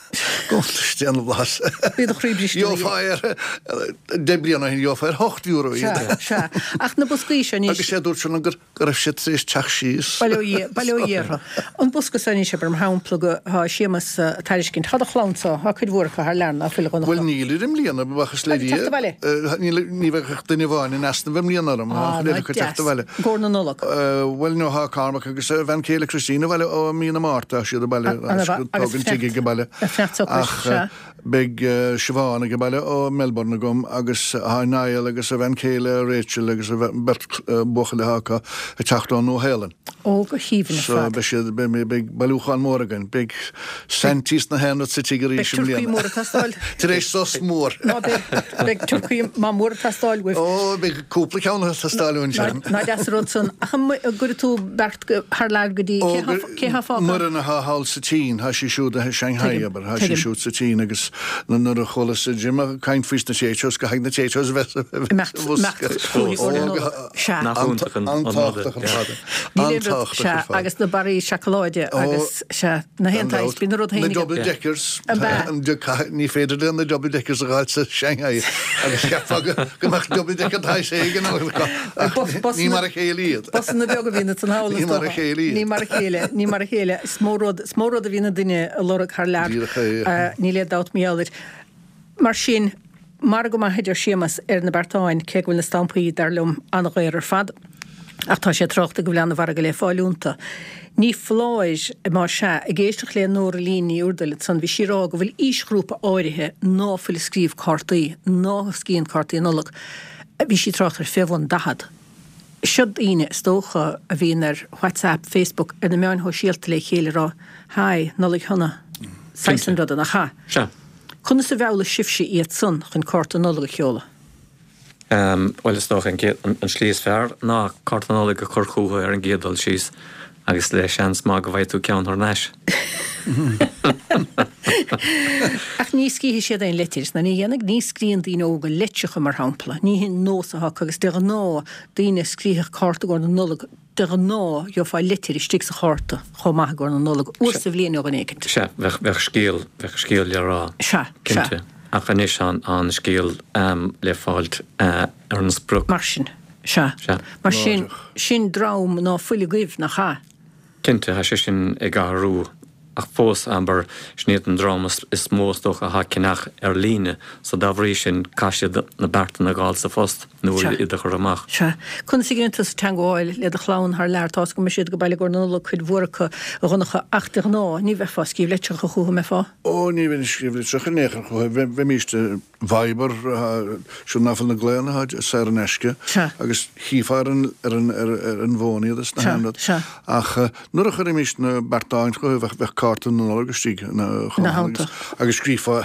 D: Cuntais Dé na bhflaitheas.
A: Bhí do chroí briste
D: ina dhiaidh. Gheofá ar, 10 bliana ó shin, gheofá ar €8
A: iad. Sea, sea. Ach na boscaí seo anois.
D: Agus sé a dúirt sé liom go raibh siad tar éis teacht síos.
A: Bail ó Dhia, bail ó Dhia orthu. An bosca seo anois, abair, mar shampla, go, thá Séamus a' tairiscint. Thá do chlann-sa, thá cuid mhór acu thar lear, ná fuil, a
D: Dhonncha? Bhuel, nílid i mbliana, buíochas le
A: Dia. Teacht abhaile?
D: Níl, ní bheidh ach duine amháin in easnamh i mbliana orm. Tá
A: Ah,
D: an chuid
A: ná
D: eile acu teacht
A: deas.
D: abhaile.
A: I gcomhair na Nollag?
D: Bhuel, no, thá Cormac agus a bhean chéile Christine abhaile ó mí na Márta, tá siad abhaile,
A: Agus
D: tógaint tigh ag baile. Ach beidh Siobhán ag baile ó Melbourne agam agus tá Niall agus a bhean chéile Rachel agus a beirt buachaill atá acu ag teacht ón Nua-Shéalainn.
A: Ó, go haoibhinn ar
D: So
A: fad.
D: beidh siad, beidh, beidh bailiúchán mór againn. Beidh Santy is na haon rud sa tigh arís
A: Beidh
D: i
A: turcaí
D: mbliana.
A: mór ag teastáil.
D: Tar éis sos mór.
A: Ná beidh, beidh turcaí maith mór ag teastáil uaibh.
D: Ó, beidh cúpla ceann ag teastáil uainn sin.
A: Ná deas an rud san. Ach an gcuirfidh tú beart thar lear go dtí,
D: Ó,
A: cé há, cé há fágtha?
D: Muireann atá thall sa tSín, tá sí siúd i Shanghai,
A: Tuigim,
D: abair, tá sí
A: tuigim.
D: siúd sa tSín agus nuair a chualas Jim ag caint faoi sna Taytos, caithfidh na Taytos a bheith sa
A: Imeacht,
D: bhosca.
A: imeacht chugaibh
D: Ó,
A: uair na
D: go
A: Nollag. Sea.
E: Nach iontach an rud é.
D: An-tábhachtach ar fad.
A: Níl aon rud,
D: An-tábhachtach
A: sea,
D: ar fad.
A: agus na barraí seacláide
D: Ó,
A: agus, sea, na haon
D: gan
A: tsaghas,
D: dabht.
A: bíonn na rud
D: Na
A: féin ag.
D: double deckers.
A: Ab ea?
D: An de- caith- ní féidir leo na double deckers a dh'fháil sa Shanghai agus cheapfá go go mbeadh double decker de shaghas éigin acu ach
A: Bus, bus
D: ní
A: na,
D: mar a chéile iad.
A: busanna beaga a bhíonn ansan thall,
D: Ní
A: is
D: mar a
A: dócha.
D: chéile iad.
A: Ní mar a chéile, ní mar a chéile. Is mó rud, is mó rud a bhíonn an duine a lorg thar lear.
D: Díreach é.
A: Níl aon dabht mar gheall air. Mar sin, margadh maith a deir Séamas ar na beartáin, cé go bhfuil na stampaí, dar liom, an-dhaor ar fad. Ach tá sé ag trácht go bhfuil an-mhargadh le fáil iontu. Ní foláir, más ea, ag éisteacht le Nóra Lín Ní Úrdail ansan, bhí sí ag rá go bhfuil aoisghrúpa áirithe ná fuil ag scríobh cártaí, ná scríobhann cártaí Nollag. Bhí sí ag trácht ar fé bhun 40. Seo daoine, is dócha, a bhíonn ar WhatsApp, Facebook, ar na meáin shóisialta le chéile ag rá, Hi, Nollaig Shona. Saghas an ruda, nach ea?
E: Sea.
A: Conas a mheallfaidh sibhse iad san chun cárta Nollag a sheoladh?
E: Bhuel, is dócha an chéad, an slí is fearr ná cárta Nollag a chur chucu ar an gcéad dul síos agus le seans maith go bhfaighidh tú ceann thar n-ais.
A: Ach ní scríobhfaidh siad aon litir, nó ní dhéanfaidh, ní scríobhann daoine óga litreacha, mar shampla. Ní hin nós atá acu agus de ghnáth, daoine a scríobhadh cárta i gcomhair na Nollag, de ghnáth gheofá litir istigh sa chárta chomh maith i gcomhair na Nollag, uair sa bhliain ó dhuine éicint.
E: Sea, bheadh, bheadh scéal, bheadh scéal le rá.
A: Sea, sea.
E: Cinnte. Ach anois tá an scéal le fáilt ar an sprioc.
A: Mar sin, sea.
E: Sea.
A: Mar sin, sin dream ná fuil agaibh, nach ea?
E: Cinnte, tá sé sin ag athrú, ach fós, abair, sin iad an dream is mó is dócha atá ag ceannach ar líne, so dá bhrí sin, caithfidh siad na beartáin a dh'fháil sa phost nó iad a chur amach.
A: Sea. Conas a dhéanann tusa teangmháil le do chlann thar lear? Tá's agam go mbeidh siad ag baile i gcomhair na Nollag, cuid mhór acu, a Dhonncha, ach de ghnáth, ní bheifeá ag scríobh litreacha chucu, an mbeifeá?
D: Ó, ní bheinn ag scríobh litreacha in aon chor chucu, bheimíst Viber, siúd ná fuil na glaonna saor in aisce agus chífeá ar an bhfón iad is na haon rud. Ach nuair a chuirimís na beartáin chucu bheadh cárta na Nollag istigh chomh maith agus scríofá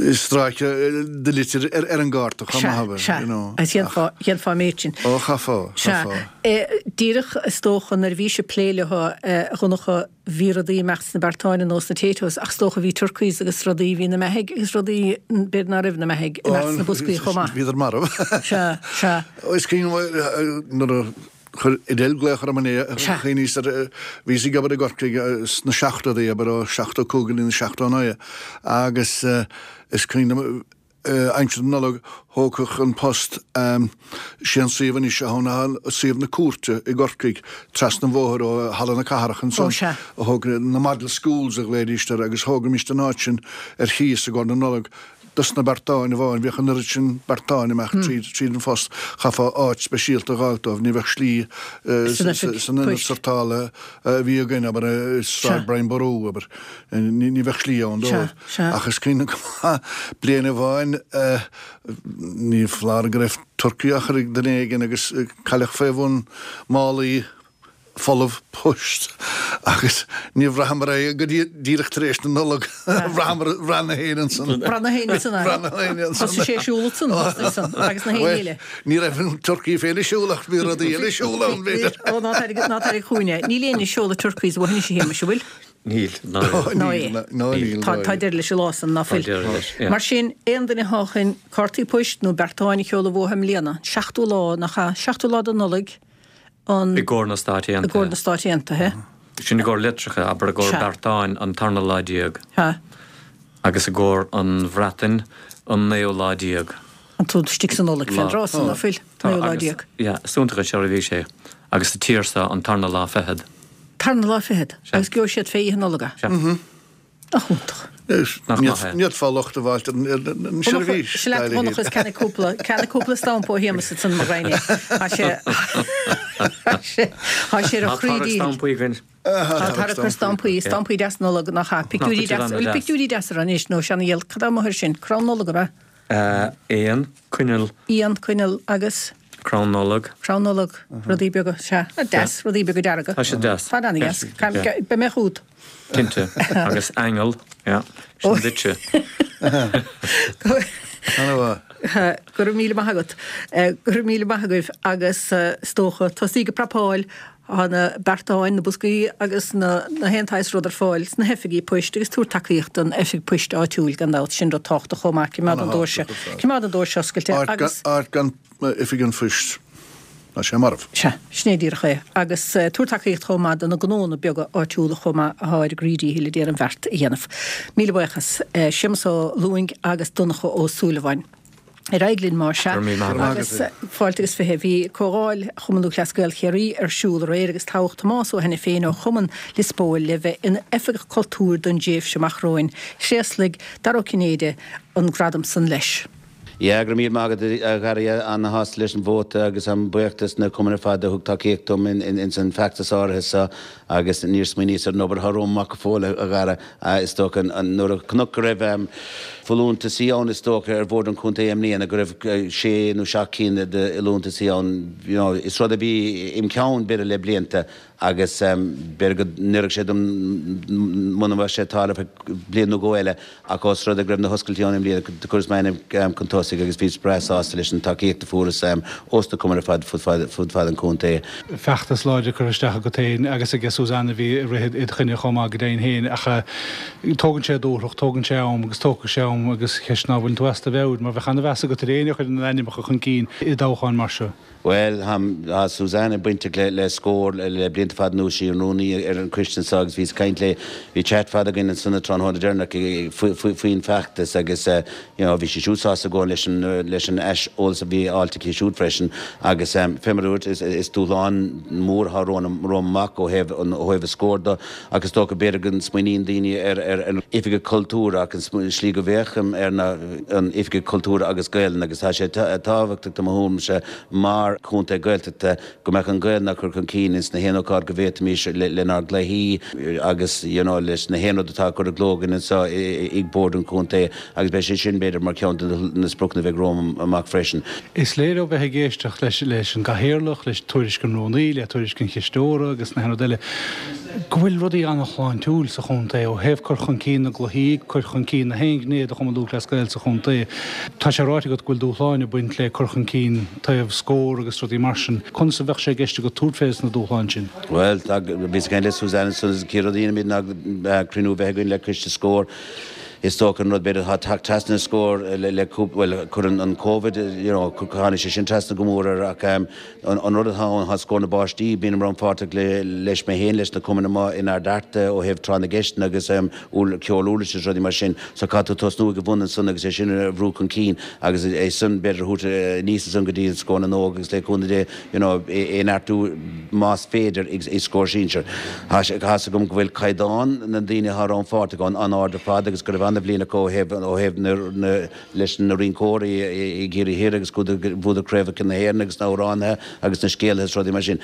D: stráice de litir ar an gcárta chomh maith,
A: abair, you know. Sea, sea, dhéanfá an méid sin.
D: Ó, chaithfeá, chaithfeá.
A: Sea. Díreach is dócha nuair a bhís ag plé leo, a Dhonncha, Bhí rudaí ag imeacht sna beartáin ar nós na Taytos ach is dócha bhí turkeys agus rudaí, bhí na mbeithígh agus rudaí, b'fhéidir ná raibh na mbeithígh, ag imeacht sna boscaí chomh maith.
D: Bhíodar marbh.
A: Sea, sea.
D: Is cuimhin nuair a chuir Edel glaoch orm inné, chuimhníos ar, bhíos ag obair i gCorcaigh sna seachtóidí, abair ó 75 go dtí na 79 agus is cuimhin liom, Aimsir na Nollag, thógfadh An Post sé an suíomh anois atá ann ná suíomh na cúirte i gCorcaigh, trasna an bhóthair ó Halla na Cathrach ansan, a thóg na Model Schools a ghlaoidíst air agus thógaimíst an áit sin ar chíos i gcomhair na Nollag dos na beartáin amháin. Bhíodh an oiread sin beartáin ag imeacht tríd an phost, chaithfeá áit speisialta a dh'fháilt dóibh, ní bheadh slí san ionad sortála a bhí againn, abair, i Sráid Brian Boru, abair. Ní bheadh slí ann dóibh. Ach is cuimhin liom go maith bliain amháin, ní foláir go raibh turcaí á chur ag duine éigin agus cailleadh fé bhun málaí folamh poist agus níor bhraitheamar é go dtí díreach tar éis na Nollag. Bhraitheamar, bhraith na héinne ansan.
A: Bhraith na héinne ansan,
D: aye. Bhraith na héinne ansan.
A: Thosaigh sé ag siúl ansan, thosaigh ansan, agus na héinne eile.
D: Ní raibh an turcaí féin ag siúl ach bhí rudaí eile ag siúl ann, b'fhéidir.
A: Ó, ná tarraing chugainn é. Níl éinne ag seoladh turkeys uainn anois a Shéamais, an bhfuil?
E: Níl,
A: ná níl. Ná é. Níl. Tá deireadh leis an lá san, ná fuil? Tá deireadh leis, yeah. Mar sin, aon duine atá chun cártaí poist nó beartáin a sheoladh uathu i mbliana, an seachtú lá, nach ea? Seachtú lá de Nollaig, an.
E: I gcomhair na Stáit
A: Aontaithe. I gcomhair na Stáit Aontaithe.
E: Sin i gcomhair litreacha, abair, i gcomhair beartáin, an tarna lá déag.
A: Sea.
E: Agus i gcomhair an Bhreatain, an naoú lá déag.
A: An tú istigh sa Nollaig fén dtráth san, ná fuil? Naoú lá déag.
E: Yeah, is iontach an seirbhís é. Agus sa tír seo, an tarna lá fichead.
A: Tarna lá fichead? Agus gheobhaidh siad fé Oíche Nollag é?
E: Sea.
A: Nach iontach.
D: Nach maith é. Ní fhéadfá locht a fháilt ar an seirbhís.
A: Seo leat a Dhonncha is ceannaigh cúpla, ceannaigh cúpla stampa ó Shéamus ansan mo ghraidhin é. Tá sé, tá sé, tá sé ar a chroí
E: díchill. Tá tarrac stampaí againn.
A: Tá tarrac ar stampaí, stampaí deas Nollag nach ea? Pictiúirí deasa, bhfuil pictiúirí deasa air anois nó seana-dhíol, cad é amuigh air sin? Crann Nollag ab
E: ea? Éan, coinneal.
A: Éan, coinneal agus.
E: Crann Nollag.
A: Crann Nollag, rudaí beaga, sea. Deas, rudaí beaga dearga.
E: Tá siad deas.
A: Tá an-deas. Beidh mé chugat.
E: Cinnte. Agus aingeal, yeah. Sin duitse.
D: An-mhaith.
A: Go raibh míle maith agat. Go raibh míle maith agaibh agus is dócha, tosaí ag prapáil Tá na beartáin, na boscaí agus na haon tsaghas rud ar fáil sna hoifigí poist agus tabhair tacaíocht don oifig poist áitiúil gan dabht, sin rud tábhachtach chomh maith, coimeád an doirse, coimeád an doirse oscailte agus.
D: Áit gan oifig an phoist, tá sé marbh.
A: Sea, sin é díreach é. Agus tabhair tacaíocht chomh maith do na gnónna beaga áitiúla chomh maith atá ar a gcroí díchill a déarfainn an bheart a dhéanamh. Míle buíochas. Séamus Ó Lúing agus Donncha Ó Súilleabháin. Ar aghaidh linn más ea. Agus fáilte agus 20. Bhí Comhdháil Chumann Lúthchleas Gael Chiarraí ar siúl aréir agus toghadh Tomás Ó hAiniféin ó Chumann Lios Póil le bheith ina Oifigeach Cultúir don dtréimhse amach romhainn. Thréaslaigh Dara Ó Cinnéide an gradam san leis.
F: Yeah, go raibh míle maith agat a Dhara, ana-shásta leis an vóta agus táim buíoch dos na cumainn ar fad a thug tacaíocht dom ins an feachtas áirithe seo agus níor smaoiníos ar an obair atá romham amach go fóill a Dhara. Is dócha, nuair a chonac go raibh folúntaisí ann, is dócha, ar Bhord an Chontae i mbliana, go raibh sé nó seacht cinn de fholúntaisí ann, you know, is rud a bhí im cheann, b'fhéidir, le blianta. Agus b'fhéidir go n-oirfeadh sé dom muna mbeadh sé ag tarlú ar feadh bliain nó dhó eile, ach ós rud é go raibh na hoscailtí ann i mbliana, do chuireas m'ainm chun tosaigh agus bhíos breá sásta leis an tacaíocht a fuaireas ós na cumainn ar fad fud fad an chontae.
G: Feachtas láidir curtha isteach agat féin agus aige Suzanne a bhí ag rith id choinne chomh maith go deimhin féin ach tógann sé dúthracht, tógann sé am agus tógfaidh sé am agus an cheist ná an bhfuileann tú as do mheabhair mar bheadh ana-mheas agat ar éinne a chuireann a n-ainmneacha chun cinn i dtoghcháin mar seo.
F: Bhuel, tá Suzanne bainteach le Scór le blianta fada anuas, sí an rúnaí ar an choiste anseo agus bhíos ag caint léi, bhí chat fada againn ansan an tráthnóna deireanach faoin bhfeachtas agus you know bhí sí siúd sásta go leis an leis an aiseolas a bhí fáilte aici siúd freisin agus fé mar a dúirt is dúshlán mór atá romham amach ó thaobh ó thaobh an Scór de ach is dócha b'fhéidir go smaoiníonn daoine ar ar an Oifigeach Cultúir ach an slí go bhféachaim air ná an Oifigeach Cultúir agus Gaelainn agus tá sé tábhachtach do mo thuairimse mar chontae Gaeltachta go mbeadh an Ghaelainn á cur chun cinn ins na haon ócáid go bhféadfaimis lenár gcluichí agus you know leis na haon rud atá á cur i gcló againn anseo ag Bord an Chontae agus beidh sé sin b'fhéidir mar cheann de na spriocanna a bheidh romham amach freisin.
G: Is léir ó bheith ag éisteacht leis an gCathaoirleach, leis tuairisc an Rúnaí, le tuairisc an Chisteora agus na haon rud eile, go bhfuil rudaí an-shláintiúil sa chontae ó thaobh cur chun cinn na gcluichí, cur chun cinn na haon ghné de Chumann Lúthchleas Gael sa chontae. Tá sé ráite agat go bhfuil dúshláin ag baint le cur chun cinn taobh Scór agus rudaí mar sin. Conas a bheadh sé i gceist agat tabhairt fé na dúshláin sin?
F: Bhuel, tá, bhíos ag caint le Suzanne ansan agus an chéad rud a dhéanfaimid ná cruinniú a bheith againn le coiste Scór. Is dócha an rud b'fhéidir atá ag teacht trasna ar Scór le cúpla, bhuel, cuireann an Covid, you know, tháinig sé sin trasna go mór air ach an rud atá ann, tá Scór na bPáistí, bím rannpháirteach leis mé féin, leis na cumainn amuigh in Ard Fhearta ó thaobh tráth na gceisteanna agus ceol uirlise is rudaí mar sin. So caithfidh tú tosnú ag an bhun ansan agus é sin a bhrú chun cinn agus é san b'fhéidir a thabhairt aníos ansan go dtí an Scór na nÓg agus le cúnamh Dé, you know, é a neartú más féidir i Scór Sinsear. Tá a fhios agam go bhfuil caighdeán na ndaoine atá rannpháirteach ann an-ard ar fad agus go raibh an-bhliain acu ó thaobh ó thaobh na na leis na rinceoirí i gCiarraí Thiar agus bhuadar craobhacha na hÉireann agus na hamhránaithe agus na scéalaithe is rudaí mar sin.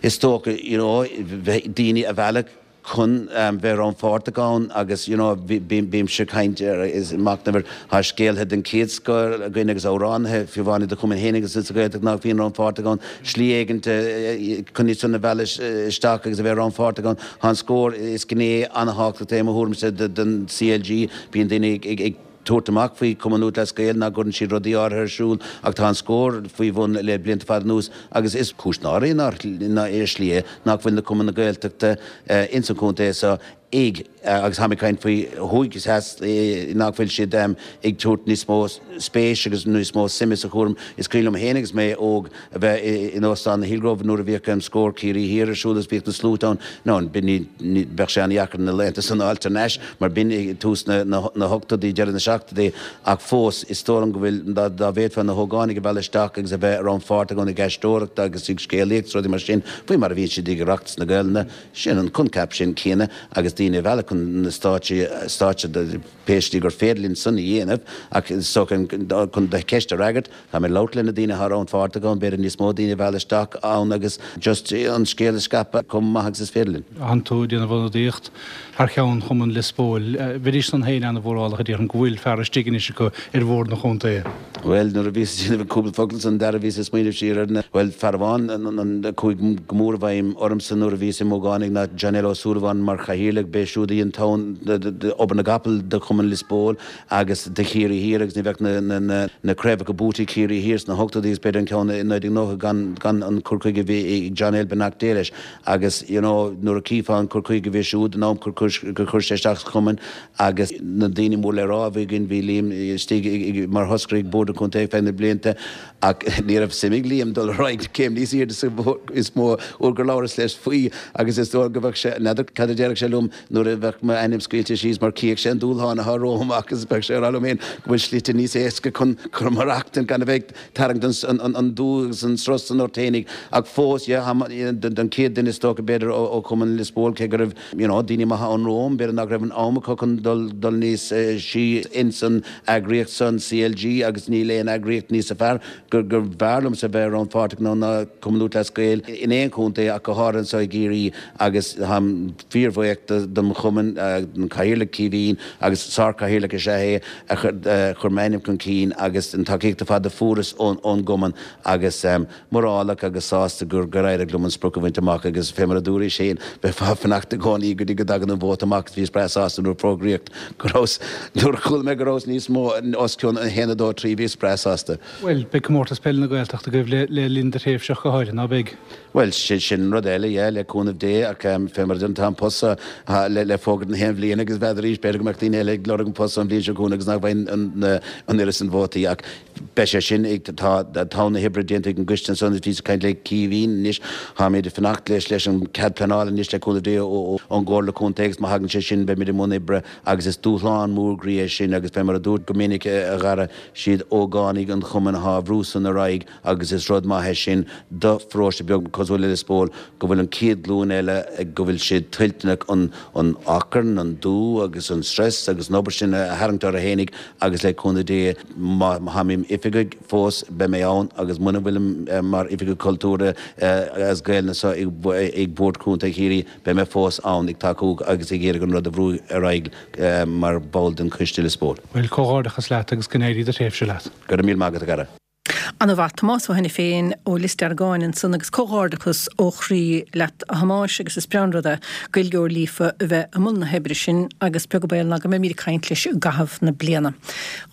F: Is dócha you know bheith daoine a mhealladh chun bheith rannpháirteach ann agus you know bímse ag caint ar is machnamh ar tá scéalaithe den chéad scoth againn agus amhránaithe fiú amháin i do chumann féin agus sa Ghaeltacht nach bhíonn rannpháirteach ann, slí éigin chun iad san a mhealladh isteach agus a bheith rannpháirteach ann. Tá an Scór, is gné an-thábhachtach é i mo thuairimse den CLG, bíonn daoine ag tabhairt amach faoi Chumann Lúthchleas Gael nach gcuireann siad rudaí áirithe ar siúl ach tá an Scór faoi bhun le blianta fada anuas agus is cúis náire é ar shlí é nach bhfuil na cumainn na Gaeltachta ins an chontae seo ag agus táim ag caint faoi thuaidh is theas nach bhfuil siad ag tabhairt níos mó spéis agus níos mó suime sa chúram. Is cuimhin liom féin agus mé óg a bheith in Óstán na Hillgrove nuair a bhíodh Scór Chiarraí Thiar ar siúl agus bhíodh na sluaite ann. Now b'in ní bheadh sé an-dheacair na laethanta san a fháilt thar n-ais mar b'in i tús na na hochtóidí, deireadh na seachtóidí ach fós is dóigh liom go bhfuil dá dá bhféadfá na hógánaigh a mhealladh isteach agus a bheith rannpháirteach ann ag aisteoireacht agus ag scéalaíocht is rudaí mar sin faoi mar a bhíonn siad ag Oireachtas na Gaelainne. Sin an coincheap sin céanna agus daoine a mhealladh chun na stáitse, stáitse pé slí gur féidir linn san a dhéanamh ach is dócha chun do cheist a fhreagairt, tá mé ag labhairt le na daoine atá rannpháirteach ann, b'fhéidir níos mó daoine a mhealladh isteach ann agus just an scéal a scaipeadh chomh maith agus is féidir linn.
G: Tánn tú ag déanamh ionadaíocht thar cheann Chumann Lios Póil. Bheidís san féin ana-mhórálach a déarfainn go bhfuil fear istigh anois acu ar bhord an chontae.
F: Bhuel, nuair a bhíos ag déanamh an cúpla focal san, Dara, bhíos ag smaoineamh siar ar na, bhuel, fear amháin a chuaigh go mór i bhfeidhm ormsa nuair a bhíos i m'ógánaigh ná John L. Ó Súilleabháin mar chathaoirleach. B'é siúd a dhein togha obair na gcapall do Chumann Lios Póil agus do Chiarraí Thiar agus ní bheadh na, na, na, na craobhacha buaite ag Ciarraí Thiar sna hochtóidí agus b'fhéidir an ceann i 1990 gan, gan an cur chuige a bhí ag John L. beannacht Dé leis. Agus, you know, nuair a chífeá an cur chuige a bhí siúd, an am gur chuir sé isteach sa chumann, Agus na daoine mór le rá a bhí againn, bhí Liam istigh mar thoscaire ag Bord an Chontae ar feadh na blianta ach ní raibh suim ag Liam dul ar aghaidh céim níos airde sa is mó uair gur labhras leis faoi agus is dóigh go bheadh sé, n'fheadar cad a déarfadh sé liom nuair a bheadh m'ainm scaoilte síos mar chífeadh sé an dúshlán atá romham agus bheadh sé ag rá liom féin go bhfuil slite níos éasca chun cur maireachtaint gan a bheith ag tarraingt an dúch agus an strus san ort fhéinig ach fós, yeah, an chéad duine is dócha b'fhéidir ó Chumann Lios Póil cé go raibh you know, daoine maithe ann romham, b'fhéidir nach raibh an am acu chun dul, dul níos sia ins an eagraíocht san, CLG, agus ní. Níl aon eagraíocht níosa fearr gur bhfearr liomsa bheith rannpháirteach ann ná Cumann Lúthchleas Gael in aon chontae ach go háirithe anseo i gCiarraí agus táim fíorbhuíoch dom chumann, don Chathaoirleach Caoimhín agus sár-chathaoirleach is ea é a chuir m'ainm chun cinn agus an tacaíocht ar fad a fuaireas ón gcumann agus mórálach agus sásta gur éirigh liom an sprioc a bhaint amach agus fé mar a dúraís féin bheifeá ag fanacht i gcónaí go dtí go dtagann an vóta amach agus bhíos breá sásta nuair a fógraíodh go rabhas nuair a chuala mé go rabhas níos mó os cionn 1, 2, 3 bhíos breá sásta.
G: Bhuel, beidh Comórtas Peile na Gaeltachta agaibh le linn do thréimhse ach go háirithe, ná beidh?
F: Bhuel, sin an rud eile, yeah, le cúnamh Dé, ach fé mar a deirim, tá an post seo le fógairt na haon bhliain agus n'fheadar arís, b'fhéidir go mbeadh daoine eile ag lorg an post seo an bhliain seo chugainn agus nach bhfaighinn an oiread san vótaí ach beidh sé sin ag, tá togha na hoibre déanta ag an gcoiste ansan agus bhíos ag caint le Caoimhín anois, táimid ag fanacht leis leis an cead pleanála anois le cúnamh Dé ón gComhairle Contae agus má thagann sé sin beimid i mbun oibre agus is dúshlán mór groí é sin agus fé mar a dúirt go minic a Dhara, siad ógánaigh an chumainn athá á bhrú san ar aghaidh agus is rud maith é sin do pharóiste beag cosúil le Lios Póil go bhfuil an chéad ghlúin eile go bhfuil siad toilteanach an an achrann, an dua agus an stress agus an obair sin a tharraingt orthu fhéinig agus le cúnamh Dé má tháim im oifigeach fós beidh mé ann agus muna bhfuilim mar oifigeach cultúrtha as Gaelainn anseo ag Bord Contae Chiarraí Beidh mé fós ann ag tacú agus ag iarraidh an rud a bhrú ar aghaidh mar bhall den choiste Lios Póil.
G: Bhuel, comhghairdeachas leat agus go n-éirí do thréimhse leat.
F: Go raibh míle maith agat, a Dhara.
A: Ana mhaith. Tomás Ó hAiniféin ó Lios Deargáin ansan agus comhghairdeachas ó chroí leat a Thomáis agus is breá an rud é Gaeilgeoir líofa a bheith i mbun na hoibre sin agus beag an baol ná go mbeimíd ag caint leis i gcaitheamh na bliana.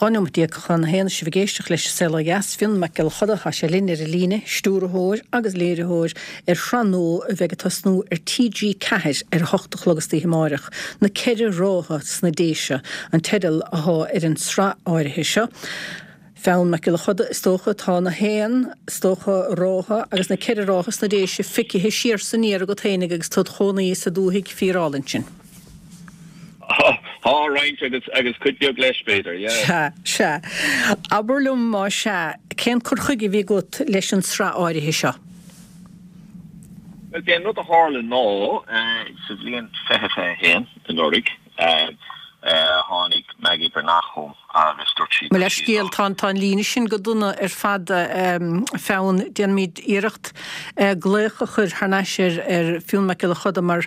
A: 12 nóimeat chun a haon sibh ag éisteacht leis An Saol Ó Dheas, Fionn Mac Giolla Choda, tá sé linn ar an líne, stiúrthóir agus léiritheoir ar shraith nua a bheidh ag tosnú ar TG4 ar a hocht a chlog istoíche amáireach, Na Ceithre Rátha sna Déise an teideal athá ar an sraith áirithe seo. Fionn Mac Giolla Choda, is dócha, tá na haon, is dócha, rátha agus na ceithre rátha sna Déise feicthe siar 's aniar agat fhéinig agus tú id chónaí sa dúthaigh fíorálainn sin.
H: Tá roinnt agus agus cuid bheag leis, b'fhéidir, yeah.
A: Sea, sea. Abair liom, más ea, cén cur chuige a bhí agat leis an sraith áirithe seo?
H: Bhuel, b'é an rud a tharla ná, sa bhliain 2021, anuraidh, tháinig Maggie Breathnach chugam agus dúirt sí
A: Mo leithscéal, tá tá an líne sin go dona ar fad, a Fionn. Déanfaimid iarracht glaoch a chur thar n-ais ar ar Fionn Mac Giolla Choda mar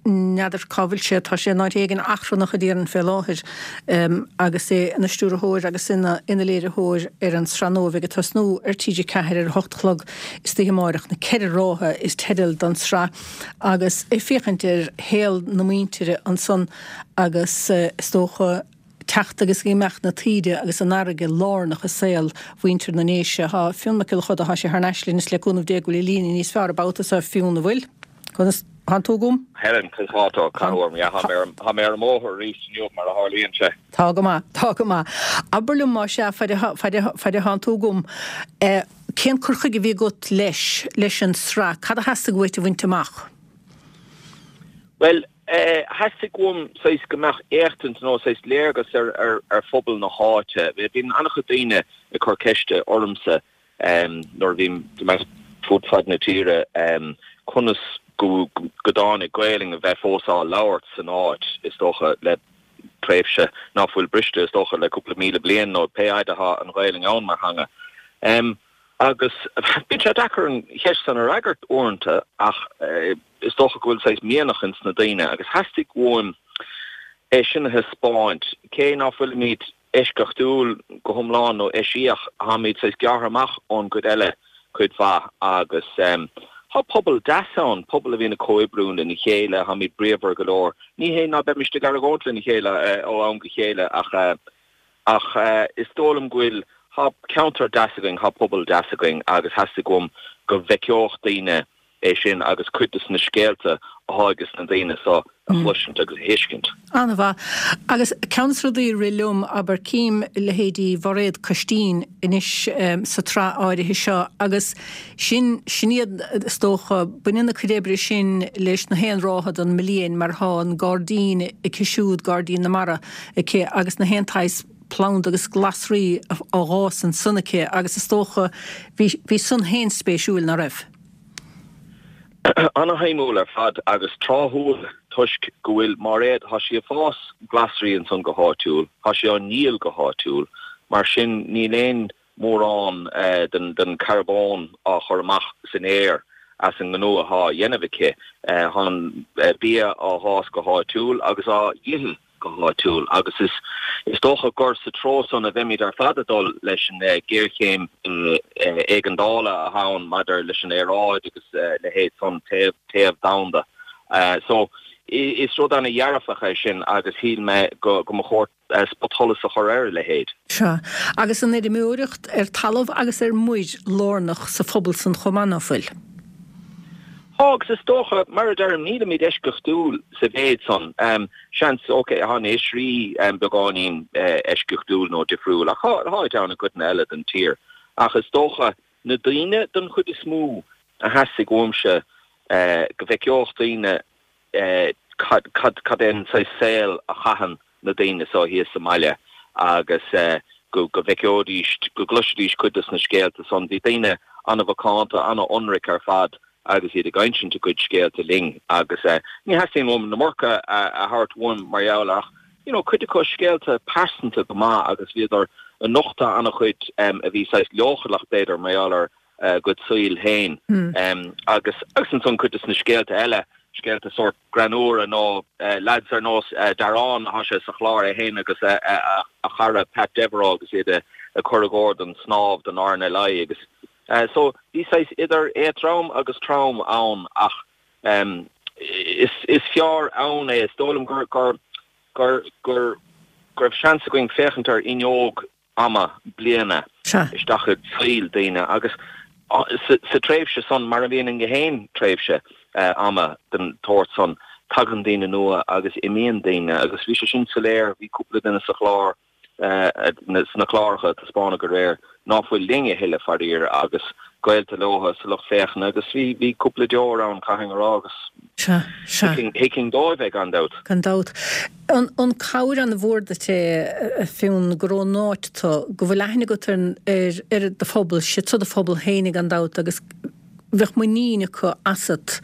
A: n'fheadar cá bhfuil sé, tá sé in áit éigin achrannach a déarfainn fé láthair agus é ina stiúrthóir agus ina ina léiritheoir ar an sraith nua a bheidh ag tosnú ar TG4 ar a hocht a chlog istoíche amáireach, Na Ceithre Rátha is teideal don sraith agus ag féachaint ar shaol na muintire ansan agus is dócha teacht agus imeacht na taoide agus an fharraige lárnach i saol mhuintir na nDéise. Tá Fionn Mac Giolla Choda, tá sé thar n-ais linn is le cúnamh Dé go bhfuil an líne níos fearr an babhta seo, Fionn, an bhfuil? Conas thánn tú agam?
H: Helen, conas tá tú? Cá bhfuair mé? Tá mé ar an mbóthar arís inniu, mar a tharlaíonn sé.
A: Tá go maith, tá go maith. Abair liom, más ea, faid a thánn tú agam, cén cur chuige a bhí agat leis, leis an sraith? Cad a theastaigh uait a bhaint amach?
H: Bhuel, theastaigh uaim saghas go mbeadh éachtaint nó saghas léargas ar phobal na háite. Bíonn an-chuid daoine ag cur ceiste ormsa nuair a bhím fud fad na tíre, conas go dtáinig Gaelainn a bheith fós á labhairt san áit, is dócha, le tréimhse ná fuil briste, is dócha, le cúpla míle bliain nó pé fhaid atá an Ghaelainn ann mar theanga. Agus bíonn sé deacair an cheist san a fhreagairt uaireanta ach is dócha go bhfuil saghas mianach ins na daoine agus theastaigh uaim é sin a thaispeáint, cé ná fuilimid eisceachtúil go hiomlán nó eisiach, táimid saghas gearrtha amach ón gcuid eile cuid mhaith agus tá pobal deas ann, pobal a bhíonn ag comhoibriú lena chéile, táimid bríomhar go leor. Ní hé ná beimist ag argóint lena chéile ó am go chéile ach ach is dóigh liom go bhfuil, tá ceantar deas againn, tá pobal deas againn agus theastaigh uaim go bhfeiceodh daoine é sin agus cuid de na scéalta athá ages na daoine so a chloisint agus a thuiscint.
A: An-mhaith. Agus ceann des rudaí a rith liom, abair, cím leithéidí Mhairéad Coistín anois sa tsraith áirithe seo agus sin, sin iad is dócha, baineann a cuid oibre sin leis na haon rátha den mbliain mar thá an gairdín aici siúd, Gairdín na Mara aici agus na haon tsaghas planda agus glasraí á dh'fhás ansan aici agus is dócha bhí, bhí san féin spéisiúil, ná raibh?
H: Ana-shuimiúil ar fad agus tráthúil toisc go bhfuil Máiréad, tá sí ag fás glasraí ansan go háitiúil, tá sí á ndíol go háitiúil. Mar sin níl aon mórán den charbón á chur amach san aer as an ngnó athá á dhéanamh aici. Tá an bia á dh'fhás go háitiúil agus á dh'ithe go háitiúil agus is dócha gur sa treo san a bheimid ar fad ag dul leis an ghéarchéim éigeandála athá ann maidir leis an aeráid agus a leithéid san, téamh domhanda. So is rud ana-dhearfach é sin agus shíl mé go mba chóir spotsholas a chur ar a leithéid.
A: Sea. Agus an fheirmeoireacht ar talamh agus ar muir lárnach sa phobal san chomh maith, ná fuil?
H: Tá, agus is dócha, mar a deirim, nílimid eisceachtúil sa mhéid san. Seans, ok, tá na hoisrí beagáinín eisceachtúil nó difriúil, ach táid ann i gcoideanna eile den tír. Ach is dócha, na daoine, don chuid is mó, a theastaigh uaimse go bhfeiceodh daoine cad, cad é an saghas saol a chaitheann na daoine so thíos sa mbaile agus go bhfeiceoidís, go gcloisfidís cuid dos na scéalta san. Bhí daoine an-mhacánta, an-ionraic ar fad agus iad ag insint a gcuid scéalta linn agus ní theastaíonn uaim an iomarca a thabhairt uaim mar gheall air ach you know cuid acu scéalta pearsanta go maith agus bhíodar ag nochtadh an-chuid a bhí saghas leochaileach b'fhéidir mar gheall ar a gcuid saoil féin. Agus agus ansan cuid de na scéalta eile, scéalta sórt greannmhara nó leaids ar nós Darán, thá sé sa chlár é féin agus a chara Pat Devereux agus iad ag cur i gcóir don snámh don RNLI agus so bhí saghas idir éadtrom agus trom ann ach is is fearr ann é, is dóigh liom gur gur gur gur go raibh seans againn féachaint ar fhuinneog ama bliana isteach i saol daoine agus sa tréimhse san, mar a bhíonn i ngach aon tréimhse ama den tsórt san, tagann daoine nua agus imíonn daoine agus bhí sé sin soiléir, bhí cúpla duine sa chlár, sna cláracha a taispeánadh aréir ná fuil linn a thuilleadh faraor agus gaolta leo sa lucht féachana agus bhí, bhí cúpla deor ann caithfidh a rá agus thuigfinn dóibh é gan dabht.
A: Gan dabht. An cabhair an-mhór duit é, a Fionn, gur ón áit tú, go bhfuil aithne agat ar ar do phobal, siad seo do phobal féin gan dabht agus bheadh muinín acu asat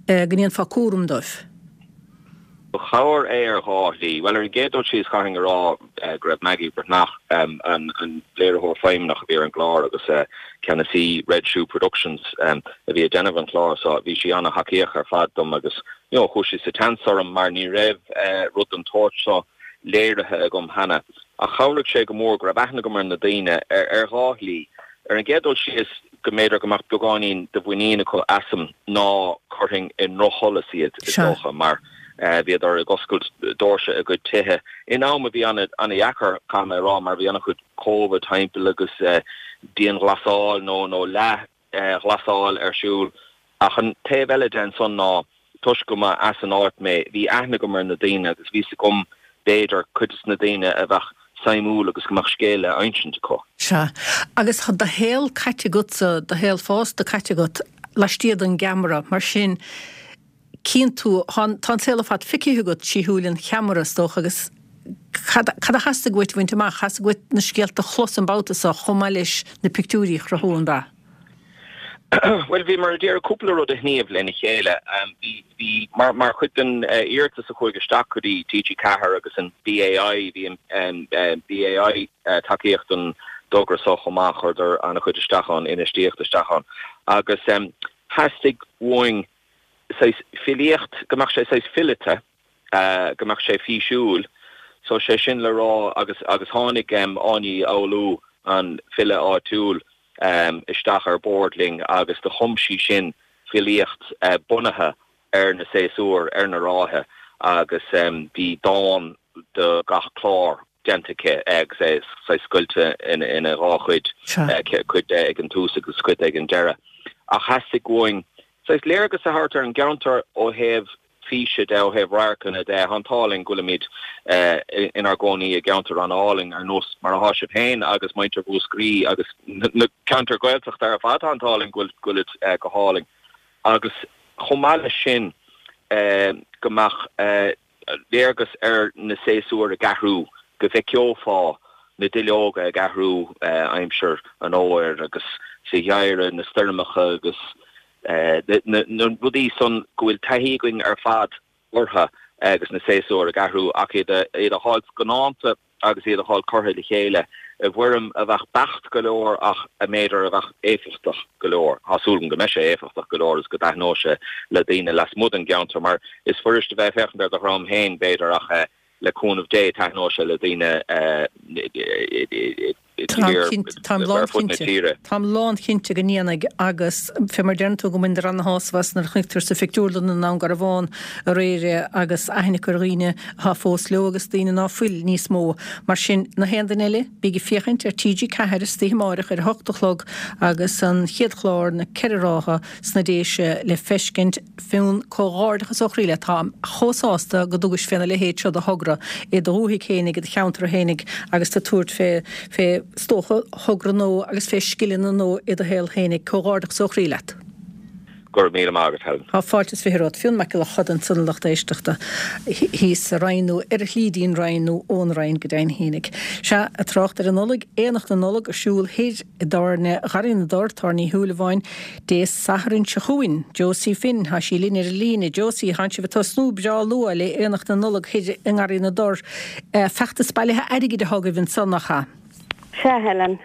A: go ndéanfá cúram dóibh.
H: Ba chabhair é ar dhá shlí. Bhuel, ar an gcéad dul síos, chaithfinn a rá go raibh Maggie Breathnach, an léiritheoir feidhmeannach a bhí ar an gclár agus ceannasaí Red Shoe Productions a bhí ag déanamh an chláir seo, bhí sí an-thacaíoch ar fad dom agus you know, chuaigh sí sa tseans orm mar ní raibh rud den tsórt seo léirithe agam cheana. Ach chabhraigh sé go mór go raibh aithne agam ar na daoine ar dhá shlí. Ar an gcéad dul síos, go mb'fhéidir go mbeadh beagáinín de mhuinín acu asam ná cuirfinn i ndrochsholas iad, is dócha, mar bhíodar ag oscailt doirse a gcuid tithe in am a bhí an-dheacair, caithfidh mé a rá, mar bhí an-chuid Covid timpeall agus dianghlasáil nó nó leath ghlasáil ar siúl. Ach an taobh eile de ansan ná, toisc go mba as an áit mé, bhí aithne agam ar na daoine agus bhí 's agam, b'fhéidir, cuid des na daoine a bheadh suimiúil agus go mbeadh scéal le insint acu.
A: Sea. Agus tá do shaol caite agatsa, do shaol fásta caite agat laistiar den gceamara, mar sin Cíonn tú, tá an saol ar fad feicthe agat trí shúile an cheamara, is dócha, agus cad a theastaigh uait a bhaint amach? Theastaigh uait na scéalta a chlos an babhta seo chomh maith leis na pictiúirí a chruthú, an ea?
H: Bhuel, bhíomar ag iarraidh cúpla rud a shníomh lena chéile. Bhí, bhí, mar, mar chuid den iarratas a chuaigh isteach go dtí TG4 agus an BAI, bhí an BAI tacaíocht don dtogra seo chomh maith, chuireadar an-chuid isteach ann, infheistíocht isteach ann agus theastaigh uainn saghas filíocht, go mbeadh sé saghas fileata, go mbeadh sé físiúil. So sé sin le rá, agus, agus tháinig Áine Uí Fhoghlú, an file áitiúil, isteach ar bord linn agus do chum sí sin filíocht bunaithe ar na séasúir, ar na ráithe agus bhí dán do gach clár déanta aici agus é saghas scoilte ina dhá chuid, cuid de ag an tús agus cuid de ag an deireadh. Ach theastaigh uainn saghas léargas a thabhairt ar an gceantar ó thaobh físe de, ó thaobh radharcanna de. Tá an t-ádh linn go bhfuilimid inár gcónaí i gceantar an-álainn ar nós mar atá sibh féin agus muintir Mhúscraí agus na ceantair Ghaeltachta ar fad. Tá an t-ádh linn go bhfuilid go hálainn. Agus chomh maith leis sin go mbeadh léargas ar na séasúir ag athrú, go bhfeiceofá na duilleoga ag athrú aimsir an fhómhair agus sa gheimhreadh, na stoirmeacha agus na rudaí san go bhfuil taithí againn ar fad orthu agus na séasúir ag athrú ach iad a fháil scannánta agus iad a fháil curtha le chéile. I bhfoirm a bheadh beacht go leor ach a mb'fhéidir a bheadh éifeachtach go leor. Tá súil agam go mbeidh sé éifeachtach go leor agus go dtaitneoidh sé le daoine lasmuigh den gceantar mar is fuirist a bheith ag féachaint ar do dhream féin b'fhéidir ach le cúnamh Dé taitneoidh sé le daoine
A: Táim lánchinnte, táim lánchinnte go ndéanfaidh agus fé mar deireann tú go mbaintear ana-shásamh as nuair a chonaic tú sa phictiúrlann i nDún Garbhán aréir é agus aithne acu ar dhaoine atá fós leo agus daoine ná fuil níos mó. Mar sin, na haon duine eile, bíg ag féachaint ar TG4 istoíche amáireach ar a hocht a chlog agus an chéad chlár, Na Ceithre Rátha sna Déise le feiscint. Fionn, Comhghairdeachas ó chroí leat. Táim chomh sásta go dtugais féna leithéid seo de thogra i do dhúthaigh fhéinig, i do cheantar fhéinig agus tú ag tabhairt fé, fé, is dócha, thogra nua agus fé scileanna nua i do shaol fhéinig. Comhghairdeachas ó chroí leat.
H: Go raibh míle maith agat, Helen.
A: Tá fáilte is 20 romhat. Fionn Mac Giolla Choda ansan a lucht éisteachta thíos sa Rinn nó ar a shlí dtí'n Rinn nó ón Rinn go deimhin fhéinig. Sea, ag trácht ar an Nollaig, Aonach na Nollag ar siúl thoir i dTábhairne Gharraí na dTor, Tábhairne Uí Shúilleabháin, Dé Sathairn seo chugainn. Josie Finn, tá sí linn ar an líne. Josie, tánn sibh ag tosnú breá luath le Aonach na Nollag thoir i nGarraí na dTor. Feachtas bailithe airgid atá agaibh ansan, nach ea?
I: Sea, Helen.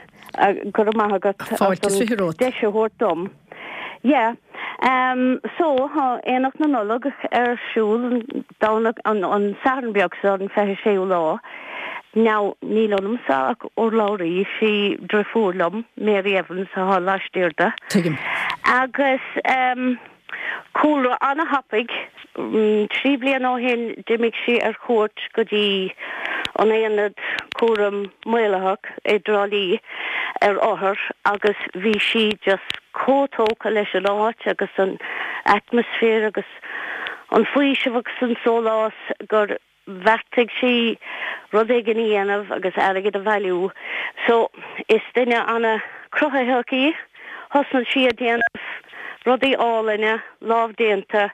I: Go raibh maith agat as an deis a thabhairt dom. Yeah. So, tá Aonach na Nollag ar siúl an Domhnach, an Satharn beag seo, an 26ú lá. Now, níl ionamsa ach urlabhraí, is í driofúr liom, Mary Evans, atá laistiar de.
A: Tuigim.
I: Agus ehm, cúlra ana-thapaidh, 3 bliana ó shin d'imigh sí ar chuairt go dtí an Aonad Cúram Maolaitheach i dTrá Lí ar othair agus bhí sí just chomh tógtha leis an áit agus an atmaisféar agus an faoiseamh agus an sólás gur bheartaigh sí rud éigin a dhéanamh agus airgead a bhailiú. So, is duine ana cruthaitheach í. Thosnaigh sí ag déanamh rudaí álainne, lámhdéanta,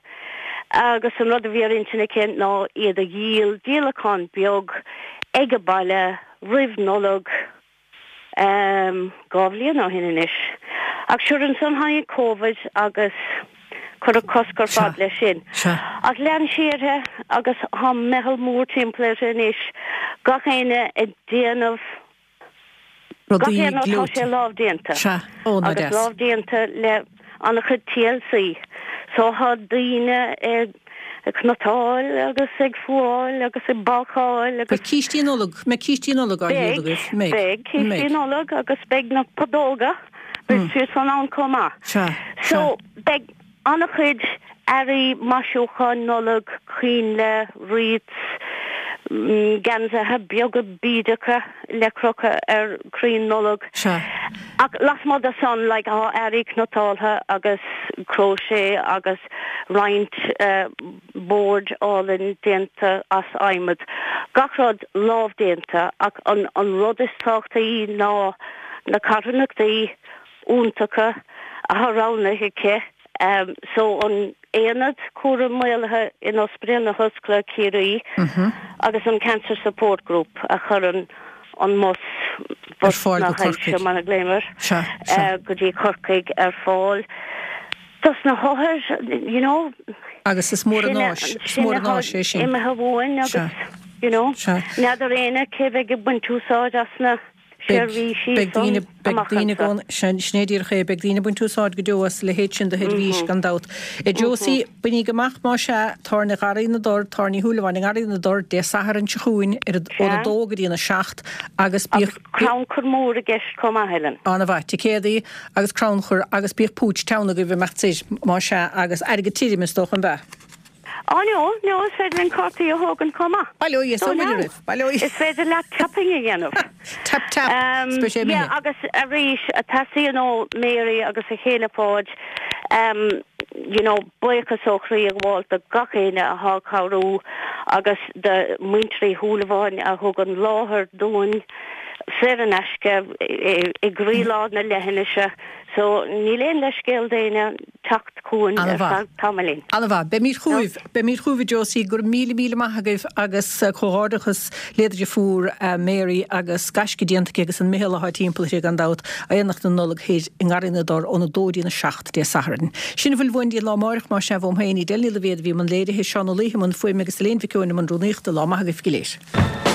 I: agus an rud a bhí ar intinn aici ná iad a dhíol, díolachán beag ag an baile roimh Nollaig. 2 bhliain ó shin anois. Ach sure ansan tháinig Covid agus cuireadh cosc ar fad leis sin. Ach lean sí uirthi agus tá meitheal mór timpeall uirthi anois, gach éinne ag déanamh, gach aon rud, tá sé lámhdéanta. Agus lámhdéanta le an-chuid TLC. So tá daoine ag cniotáil agus ag fuáil agus ag bácáil agus.
A: Beidh cístí Nollag, mbeidh cístí Nollag á dhíol agaibh?
I: Beidh, beidh cístí Nollag agus beidh na podóga, beidh siad san ann chomh maith.
A: Sea,
I: sea. So beidh an-chuid earraí maisiúcháin Nollag, coinnle, wreaths, geansaithe beaga bídeacha le crochadh ar chrainn Nollag.
A: Sea.
I: Ach lasmuigh de san, like, tá earraí cniotáilte agus crochet agus roinnt boird álainn déanta as adhmad. Gach rud lámhdéanta ach an an rud is tábhachtaí ná na carthanachtaí iontacha atá roghnaithe aici. So an Aonad Cúraim Maolaithe in Ospidéal na hOllscoile Ciarraí agus an Cancer Support Group a chuireann an mbus,
A: bus
I: na
A: hailse
I: mar a ghlaoim air, go dtí Corcaigh ar fáil dos na hothair, you know.
A: Agus is mór an áis, is mór an áis é sin.
I: Imithe uainn agus, you know, n'fheadar éinne cé bheidh ag baint úsáid as na seirbhísí
A: Beidh daoine, beidh daoine go, sin é díreach é, beidh daoine ag baint úsáid go deo as a leithéid sin de sheirbhís, gan dabht. A Josie, bainíg amach más ea, Tábhairne Gharraí na dTor, Tábhairne Uí Shúilleabháin i nGarraí na dTor, Dé Sathairn seo chugainn ar ón 2 go dtí an 7 agus
I: bíodh. Agus crannchur mór i gceist chomh maith, Helen.
A: Ana-mhaith. Ticéadaí agus crannchur agus bíodh púits teann agaibh ag imeacht soir, más ea, agus airgead tirim, is dócha, an ea?
I: Á no, no, is féidir linn cártaí a thógaint chomh maith.
A: Bail ó Dhia is ó Mhuire oraibh, bail ó Dhia.
I: Is féidir leat tapping a dhéanamh.
A: Tap tap, is beidh sé imithe.
I: Yeah, agus arís, teastaíonn ó Mary agus a chéile Páid, you know, buíochas ó chroí a ghabháil do gach éinne atá ag cabhrú agus do Muintir Uí Shúilleabháin a thug an láthair dúinn saor in aisce i gcroílár na leithinise. So, níl aon leithscéal d'éinne. teacht chugainn ar feadh tamaillín.
A: Ana-mhaith. Beimid chugaibh. Beimid chugaibh, a Josie. Go raibh míle, míle maith agaibh agus comhghairdeachas le do dheirfiúr Mary agus gaisce déanta aici agus an meitheal atá timpeall uirthi gan dabht. Aonach na Nollag thoir i nGarraí na dTor ón 2 go dtí an 7 Dé Sathairn. Sin a bhfuil uainn dtí an lá amáireach más ea uaim féin, Edel Ní Loibhéad a bhí i mbun léirithe, Seán Ó Laoithe i mbun fuaime agus Elaine Mhic Eoin i mbun rúnaíochta. Lá maith agaibh go léir.